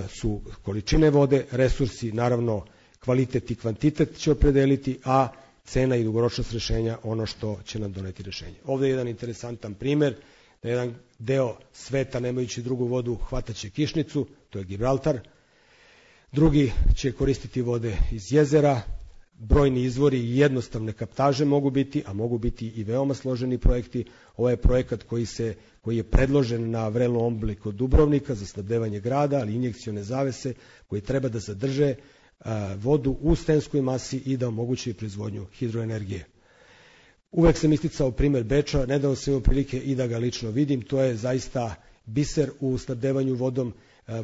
su količine vode, resursi, naravno kvalitet i kvantitet će opredeliti, a cena i dugoročnost rešenja ono što će nam doneti rešenje. Ovde je jedan interesantan primer da jedan deo sveta nemajući drugu vodu hvataće kišnicu, to je Gibraltar, drugi će koristiti vode iz jezera, brojni izvori i jednostavne kaptaže mogu biti, a mogu biti i veoma složeni projekti. Ovo je projekat koji je predložen na vrelom ombli kod Dubrovnika za snabdevanje grada, ali injekcione zavese koji treba da zadrže vodu u stenskoj masi i da omogući proizvodnju hidroenergije. Uvek sam isticao primer Beča, nedavno sam imao prilike i da ga lično vidim, to je zaista biser u snabdevanju vodom,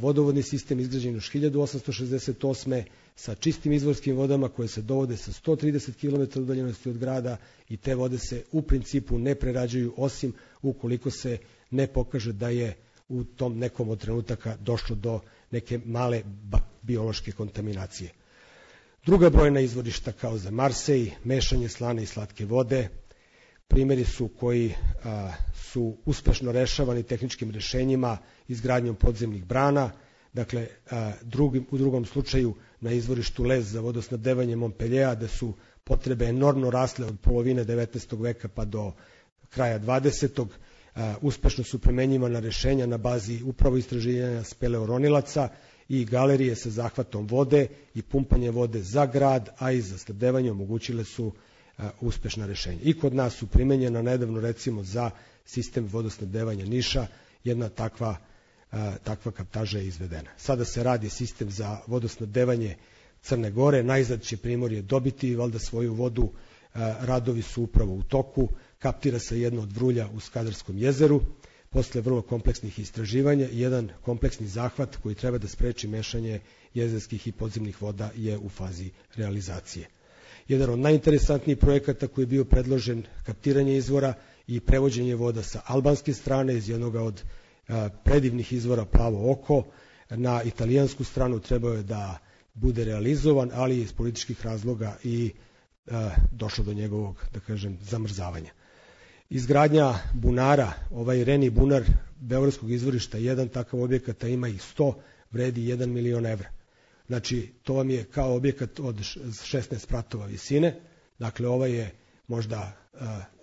vodovodni sistem izgrađen još 1868. sa čistim izvorskim vodama koje se dovode sa 130 km udaljenosti od grada i te vode se u principu ne prerađuju osim ukoliko se ne pokaže da je u tom nekom od trenutaka došlo do neke male biološke kontaminacije. Druga brojna izvorišta kao za Marsej, mešanje slane i slatke vode, primjeri su koji su uspešno rešavani tehničkim rešenjima izgradnjom podzemnih brana, dakle u drugom slučaju na izvorištu Lez za vodosnabdevanje Montpelliera, da su potrebe enormno rasle od polovine 19. veka pa do kraja 20. Uspešno su primenjivana rešenja na bazi upravo istraživanja speleoronilaca i galerije sa zahvatom vode i pumpanje vode za grad, a i za snabdevanje omogućile su uspešna rešenja. I kod nas su primenjena nedavno recimo za sistem vodosnabdevanja Niša, jedna takva kaptaža je izvedena. Sada se radi sistem za vodosnabdevanje Crne Gore, najzad će Primorje dobiti valjda svoju vodu, radovi su upravo u toku, kaptira se jedno od vrulja u Skadarskom jezeru, posle vrlo kompleksnih istraživanja i jedan kompleksni zahvat koji treba da spreči mešanje jezerskih i podzemnih voda je u fazi realizacije. Jedan od najinteresantnijih projekata koji je bio predložen, kaptiranje izvora i prevođenje voda sa albanske strane iz jednog od predivnih izvora Plavo oko na italijansku stranu, trebao je da bude realizovan, ali iz političkih razloga i došlo do njegovog, da kažem, zamrzavanja. Izgradnja bunara, ovaj Reni bunar beogradskog izvorišta, jedan takav objekat, a ima ih 100, vredi 1 milion evra. Znači, to vam je kao objekat od 16 spratova visine, dakle ovaj je možda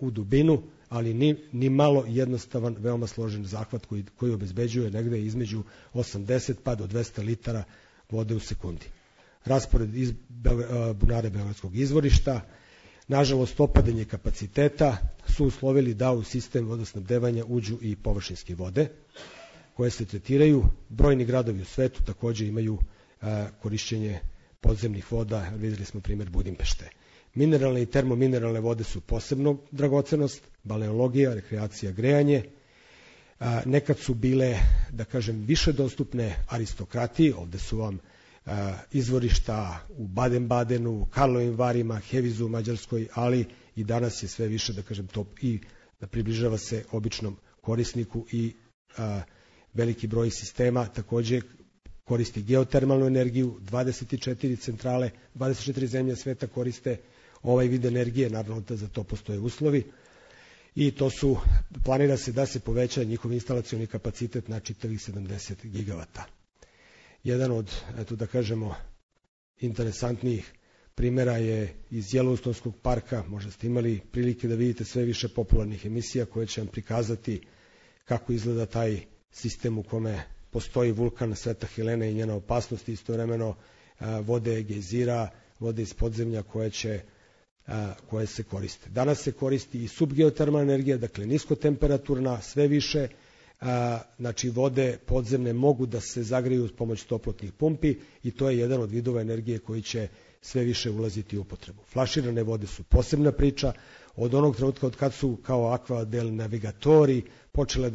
u dubinu, ali ni malo jednostavan, veoma složen zahvat koji obezbeđuje negde između 80 pa do 200 litara vode u sekundi. Raspored iz bunara beogradskog izvorišta, nažalost opadanje kapaciteta su uslovili da u sistem vodosnabdevanja uđu i površinske vode koje se tretiraju. Brojni gradovi u svetu takođe imaju korišćenje podzemnih voda, videli smo primer Budimpešte. Mineralne i termomineralne vode su posebno dragocenost, balneologija, rekreacija, grejanje. Nekad su bile, da kažem, više dostupne aristokratiji, ovde su vam izvorišta u Baden-Badenu, Karlovim Varima, Hevizu u Mađarskoj, ali i danas je sve više, da kažem, to i da približava se običnom korisniku i veliki broj sistema takođe koristi geotermalnu energiju, 24 centrale, 24 zemlje sveta koriste ovaj vid energije, naravno da za to postoje uslovi i planira se da se poveća njihov instalacioni kapacitet na čitavih 70 gigavata. Jedan od, eto da kažemo, interesantnijih primera je iz Yellowstoneskog parka, možda ste imali prilike da vidite sve više popularnih emisija koje će vam prikazati kako izgleda taj sistem u kome postoji vulkan Sveta Helena i njena opasnost, istovremeno vode gejzira, vode iz podzemlja koje se koriste. Danas se koristi i subgeotermalna energija, dakle niskotemperaturna, sve više, znači vode podzemne mogu da se zagreju uz pomoć toplotnih pumpi i to je jedan od vidova energije koji će sve više ulaziti u upotrebu. Flaširane vode su posebna priča, od onog trenutka od kad su kao Aqua del Navigatori počele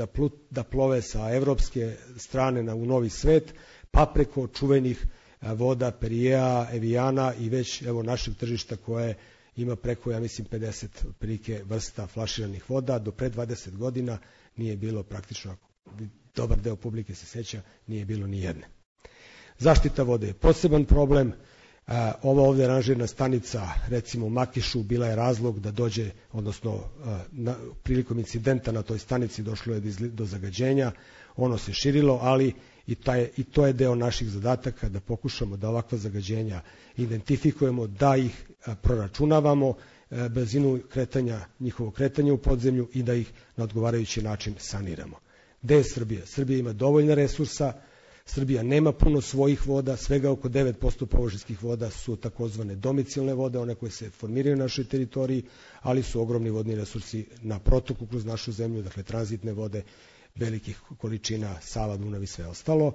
da plove sa evropske strane u novi svet, pa preko čuvenih voda Perijea, Eviana i već evo našeg tržišta koje ima preko, ja mislim, 50 otprilike vrsta flaširanih voda. Do pre 20 godina nije bilo praktično, dobar deo publike se seća, nije bilo ni jedne. Zaštita vode je poseban problem. Ova ovde aranžirana stanica, recimo u Makišu, bila je razlog da dođe, odnosno prilikom incidenta na toj stanici došlo je do zagađenja, ono se širilo, ali i to je deo naših zadataka da pokušamo da ovakva zagađenja identifikujemo, da ih proračunavamo, brzinu njihovog kretanja u podzemlju i da ih na odgovarajući način saniramo. Gde je Srbija? Srbija ima dovoljna resursa, Srbija nema puno svojih voda, svega oko 9% površinskih voda su takozvane domicilne vode, one koje se formiraju na našoj teritoriji, ali su ogromni vodni resursi na protoku kroz našu zemlju, dakle tranzitne vode, velikih količina, Sava, Dunav i sve ostalo.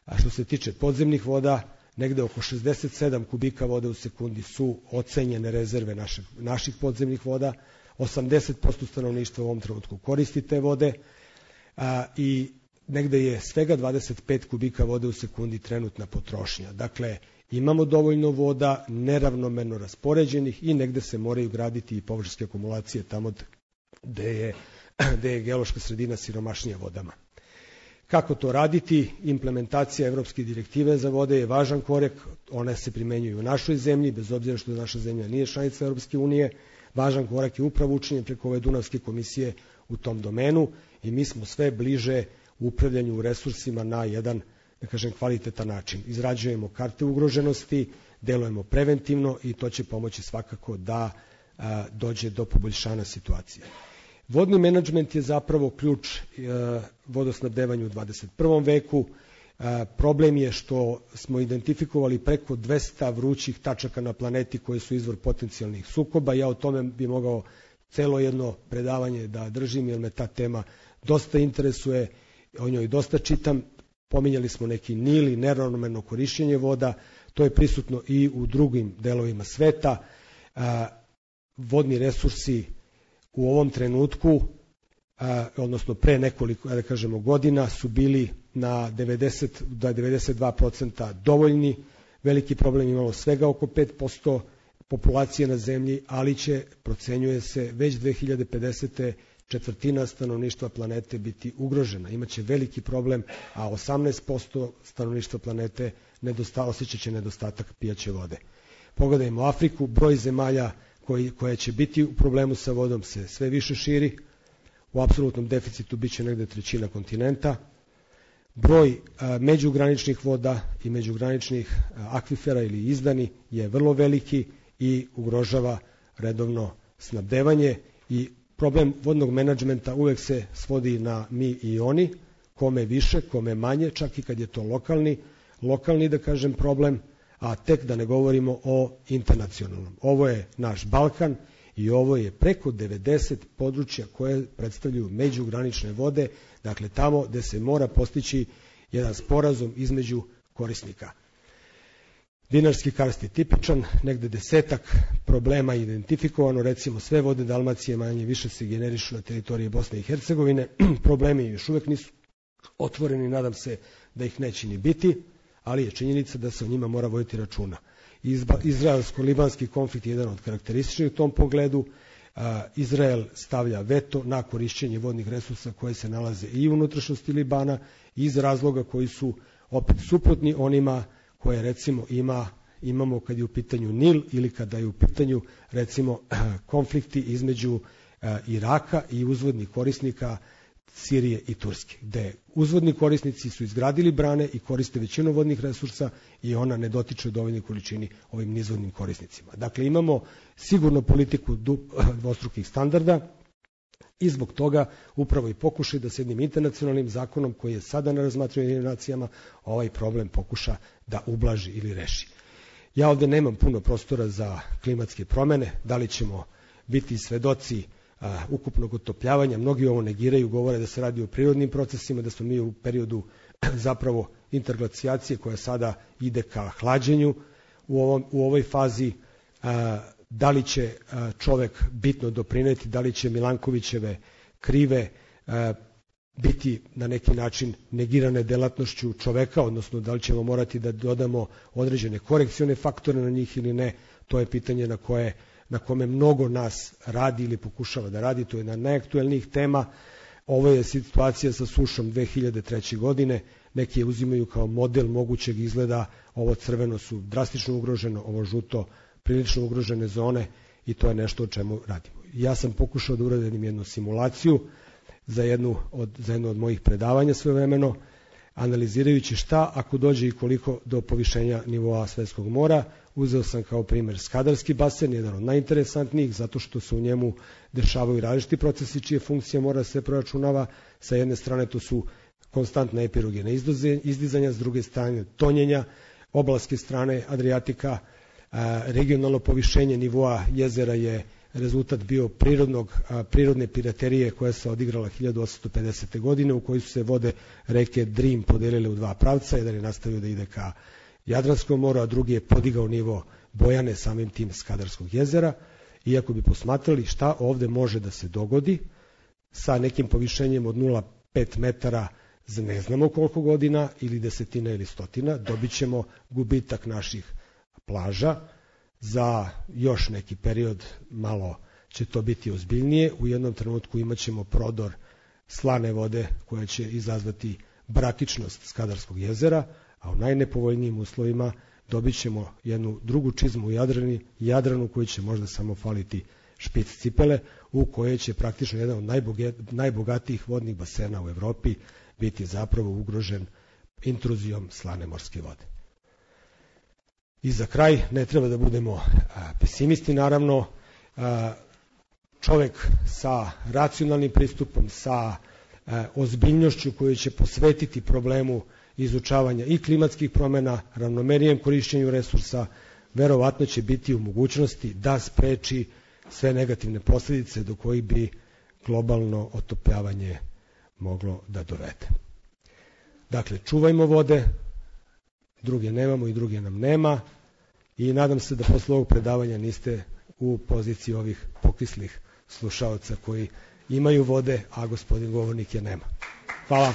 A što se tiče podzemnih voda, negde oko 67 kubika vode u sekundi su ocenjene rezerve naših podzemnih voda, 80% stanovništva u ovom trenutku koristi te vode i negde je svega 25 kubika vode u sekundi trenutna potrošnja. Dakle, imamo dovoljno voda, neravnomerno raspoređenih i negde se moraju graditi i površinske akumulacije tamo gde je geološka sredina siromašnija vodama. Kako to raditi? Implementacija evropske direktive za vode je važan korak, one se primenjuju u našoj zemlji, bez obzira što naša zemlja nije članica Evropske unije, važan korak je upravo učinjen preko ove Dunavske komisije u tom domenu i mi smo sve bliže upravljanju resursima na jedan, da kažem, kvalitetan način. Izrađujemo karte ugroženosti, delujemo preventivno i to će pomoći svakako da dođe do poboljšanja situacije. Vodni menadžment je zapravo ključ vodosnabdevanju u 21. veku. Problem je što smo identifikovali preko 200 vrućih tačaka na planeti koji su izvor potencijalnih sukoba. Ja o tome bi mogao celo jedno predavanje da držim jer me ta tema dosta interesuje, o njoj dosta čitam. Pominjali smo neki Nil i neravnomerno korišćenje voda, to je prisutno i u drugim delovima sveta. Vodni resursi u ovom trenutku, odnosno pre nekoliko, da kažemo, godina su bili na 92% dovoljni. Veliki problem imalo svega oko 5% populacije na zemlji, ali procenjuje se već 2050. četvrtina stanovništva planete biti ugrožena. Imaće veliki problem, a 18% stanovništva planete osjećat će nedostatak pijaće vode. Pogledajmo Afriku, broj zemalja koje će biti u problemu sa vodom se sve više širi. u apsolutnom deficitu biće negde trećina kontinenta. Broj međugraničnih voda i međugraničnih akvifera ili izdani je vrlo veliki i ugrožava redovno snabdevanje i problem vodnog menadžmenta uvek se svodi na mi i oni, kome više, kome manje, čak i kad je to lokalni da kažem problem, a tek da ne govorimo o internacionalnom. Ovo je naš Balkan i ovo je preko 90 područja koje predstavljaju međugranične vode, dakle tamo gde se mora postići jedan sporazum između korisnika. Dinarski karst je tipičan, negde 10 problema je identifikovano, recimo sve vode Dalmacije manje više se generišu na teritoriji Bosne i Hercegovine, problemi još uvek nisu otvoreni, nadam se da ih neće ni biti, ali je činjenica da se o njima mora voditi računa. Izraelsko-libanski konflikt je jedan od karakterističnih u tom pogledu. Izrael stavlja veto na korišćenje vodnih resursa koje se nalaze i u unutrašnjosti Libana iz razloga koji su opet suprotni onima koje recimo imamo kad je u pitanju Nil ili kada je u pitanju recimo konflikti između Iraka i uzvodnih korisnika Sirije i Turske, gde uzvodni korisnici su izgradili brane i koriste većinu vodnih resursa i ona ne dotiče u dovoljnoj količini ovim nizvodnim korisnicima. Dakle, imamo sigurno politiku dvostrukih standarda i zbog toga upravo i pokušaj da s jednim internacionalnim zakonom koji je sada na razmatranju nacijama ovaj problem pokuša da ublaži ili reši. Ja ovde nemam puno prostora za klimatske promene, da li ćemo biti svedoci ukupnog otopljavanja, mnogi ovo negiraju, govore da se radi o prirodnim procesima, da smo mi u periodu zapravo interglacijacije koja sada ide ka hlađenju u ovoj fazi. Da li će čovek bitno doprineti, da li će Milankovićeve krive biti na neki način negirane delatnošću čoveka, odnosno da li ćemo morati da dodamo određene korekcione faktore na njih ili ne, to je pitanje na kome mnogo nas radi ili pokušava da radi, to je jedna od najaktuelnijih tema. Ovo je situacija sa sušom 2003. godine, neki je uzimaju kao model mogućeg izgleda, ovo crveno su drastično ugroženo, ovo žuto prilično ugrožene zone i to je nešto o čemu radimo. Ja sam pokušao da uradim jednu simulaciju za jedno od mojih predavanja svojevremeno, analizirajući šta ako dođe i koliko do povišenja nivoa svetskog mora. Uzeo sam kao primer Skadarski basen, jedan od najinteresantnijih, zato što se u njemu dešavaju različiti procesi čije funkcija mora se proračunava. Sa jedne strane to su konstantna epirogena izdizanja, s druge strane tonjenja, oblaske strane Adriatika, regionalno povišenje nivoa jezera je rezultat bio prirodne piraterije koja se odigrala 1850. godine u kojoj su se vode reke Drim podelile u dva pravca, jedan je nastavio da ide ka Jadranskom moru, a drugi je podigao nivo Bojane samim tim Skadarskog jezera. Iako bi posmatrali šta ovde može da se dogodi sa nekim povišenjem od 0,5 metara za ne znamo koliko godina ili desetina ili stotina, dobit ćemo gubitak naših plaža. Za još neki period malo će to biti ozbiljnije. U jednom trenutku imat ćemo prodor slane vode koja će izazvati bratičnost Skadarskog jezera, a u najnepovoljnijim uslovima dobit ćemo jednu drugu čizmu u Jadranu koju će možda samo faliti špic cipele, u kojoj će praktično jedan od najbogatijih vodnih basena u Evropi biti zapravo ugrožen intruzijom slane morske vode. I za kraj, ne treba da budemo pesimisti, naravno, čovek sa racionalnim pristupom, sa ozbiljnošću koju će posvetiti problemu izučavanja i klimatskih promena, ravnomerijem korišćenju resursa, verovatno će biti u mogućnosti da spreči sve negativne posledice do kojih bi globalno otopljavanje moglo da dovede. Dakle, čuvajmo vode, druge nemamo i druge nam nema i nadam se da posle ovog predavanja niste u poziciji ovih pokislih slušaoca koji imaju vode, a gospodin govornik je nema. Hvala.